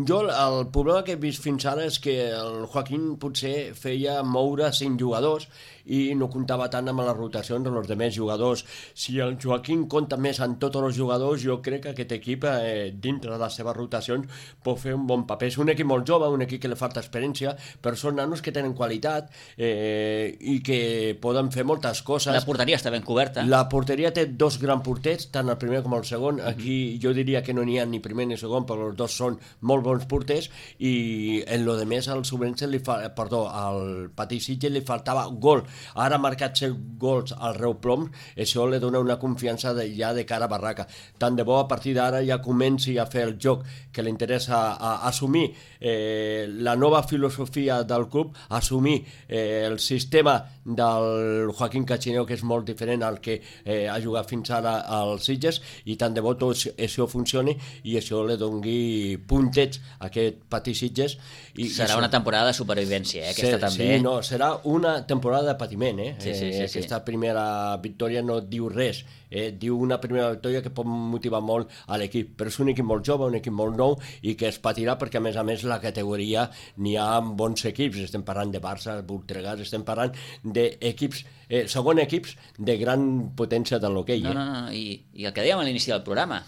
jo el problema que he vist fins ara és que el Joaquín potser feia moure cinc jugadors i no comptava tant amb les rotacions dels demés jugadors. Si el Joaquín compta més en tots els jugadors, jo crec que aquest equip, eh, dintre de les seves rotacions, pot fer un bon paper. És un equip molt jove, un equip que li falta experiència, però són nanos que tenen qualitat eh, i que poden fer moltes coses. La porteria està ben coberta. La porteria porteria té dos grans porters, tant el primer com el segon. Aquí jo diria que no n'hi ha ni primer ni segon, però els dos són molt bons porters, i en lo de més al Subrense li fa, perdó, al Patí Sitges li faltava gol. Ara ha marcat set gols al Reu Plom, això li dona una confiança de, ja de cara a Barraca. Tant de bo a partir d'ara ja comenci a fer el joc que li interessa, a, a assumir eh, la nova filosofia del club, assumir eh, el sistema del Joaquín Cachineo, que és molt diferent al que eh, ha jugat fins ara als Sitges, i tant de bo tot això funcioni i això li doni puntets a aquest Patí Sitges. I, serà i una temporada de supervivència, eh? Aquesta sí, també. Sí, no, serà una temporada de patiment, eh? Sí, sí, sí, eh aquesta sí. primera victòria no diu res, eh? Diu una primera victòria que pot motivar molt a l'equip, però és un equip molt jove, un equip molt nou i que es patirà perquè a més a més la categoria n'hi ha bons equips, estem parlant de Barça, Voltregà, estem parlant d'equips, eh, segon equips de gran potència de l'hoquei. No, eh? no, no, i, i el que dèiem a l'inici del programa,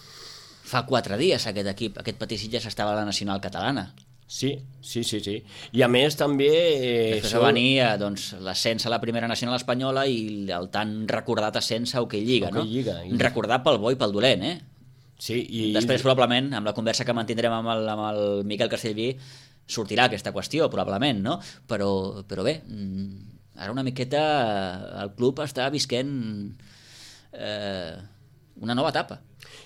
fa quatre dies aquest equip, aquest Patí Sitges estava a la Nacional Catalana. Sí, sí, sí, sí. I a més també... Eh, Després va venir eh, doncs, l'ascens a la primera nacional espanyola i el tan recordat ascens a Hoquei Lliga, no? Lliga, i... Recordat pel bo i pel dolent, eh? Sí, i... Després, probablement, amb la conversa que mantindrem amb el, amb el Miquel Castellví, sortirà aquesta qüestió, probablement, no? Però, però bé, ara una miqueta el club està visquent eh, una nova etapa.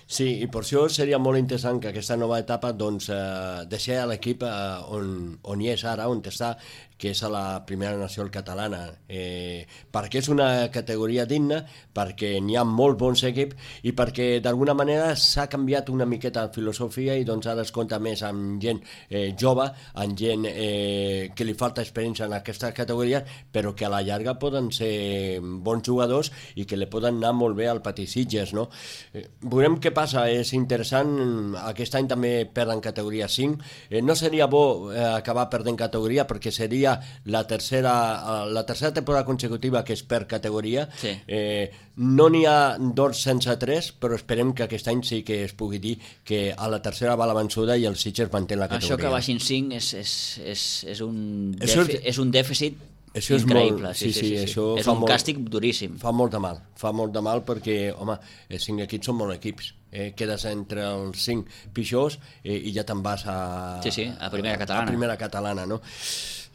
Sí, i per això seria molt interessant que aquesta nova etapa doncs, eh, deixi l'equip eh, on, on hi és ara, on està, que és a la primera nacional catalana, eh, perquè és una categoria digna, perquè n'hi ha molt bons equips i perquè d'alguna manera s'ha canviat una miqueta la filosofia i doncs ara es compta més amb gent eh, jove, amb gent eh, que li falta experiència en aquesta categoria, però que a la llarga poden ser bons jugadors i que li poden anar molt bé al Patí Sitges, no? Eh, veurem què passa, és interessant, aquest any també perden categoria cinc, eh, no seria bo eh, acabar perdent categoria perquè seria la tercera, la tercera temporada consecutiva que es perd categoria. Sí. Eh, no n'hi ha dos sense tres, però esperem que aquest any sí que es pugui dir que a la tercera va la vençuda i el Sitges manté la categoria. Això que baixin cinc és, és, és, és, un, Això defi, és un dèficit això és increïble. Molt, sí, sí, sí, sí, sí. És un molt, càstig duríssim. Fa molt de mal, fa molt de mal perquè, home, els cinc equips són molt equips. Eh, quedes entre els cinc pitjors eh, i ja te'n vas a, sí, sí, a primera catalana. A primera catalana, no?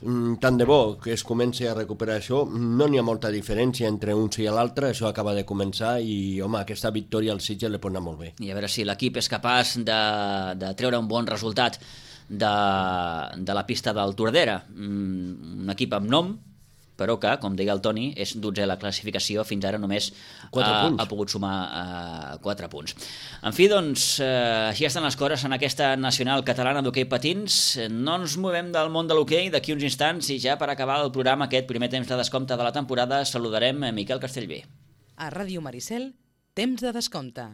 Mm, tant de bo que es comenci a recuperar això, no n'hi ha molta diferència entre uns i l'altre, això acaba de començar i, home, aquesta victòria al Sitges li pot anar molt bé. I a veure si l'equip és capaç de, de treure un bon resultat de, de la pista del Tordera, mm, un equip amb nom, però que, com deia el Toni, és dotzè la classificació, fins ara només ha, ha pogut sumar uh, quatre punts. En fi, doncs, uh, així estan les coses en aquesta nacional catalana d'hoquei patins. No ens movem del món de l'hoquei d'aquí uns instants i ja per acabar el programa, aquest primer temps de descompte de la temporada, saludarem a Miquel Castellví. A Ràdio Maricel, temps de descompte.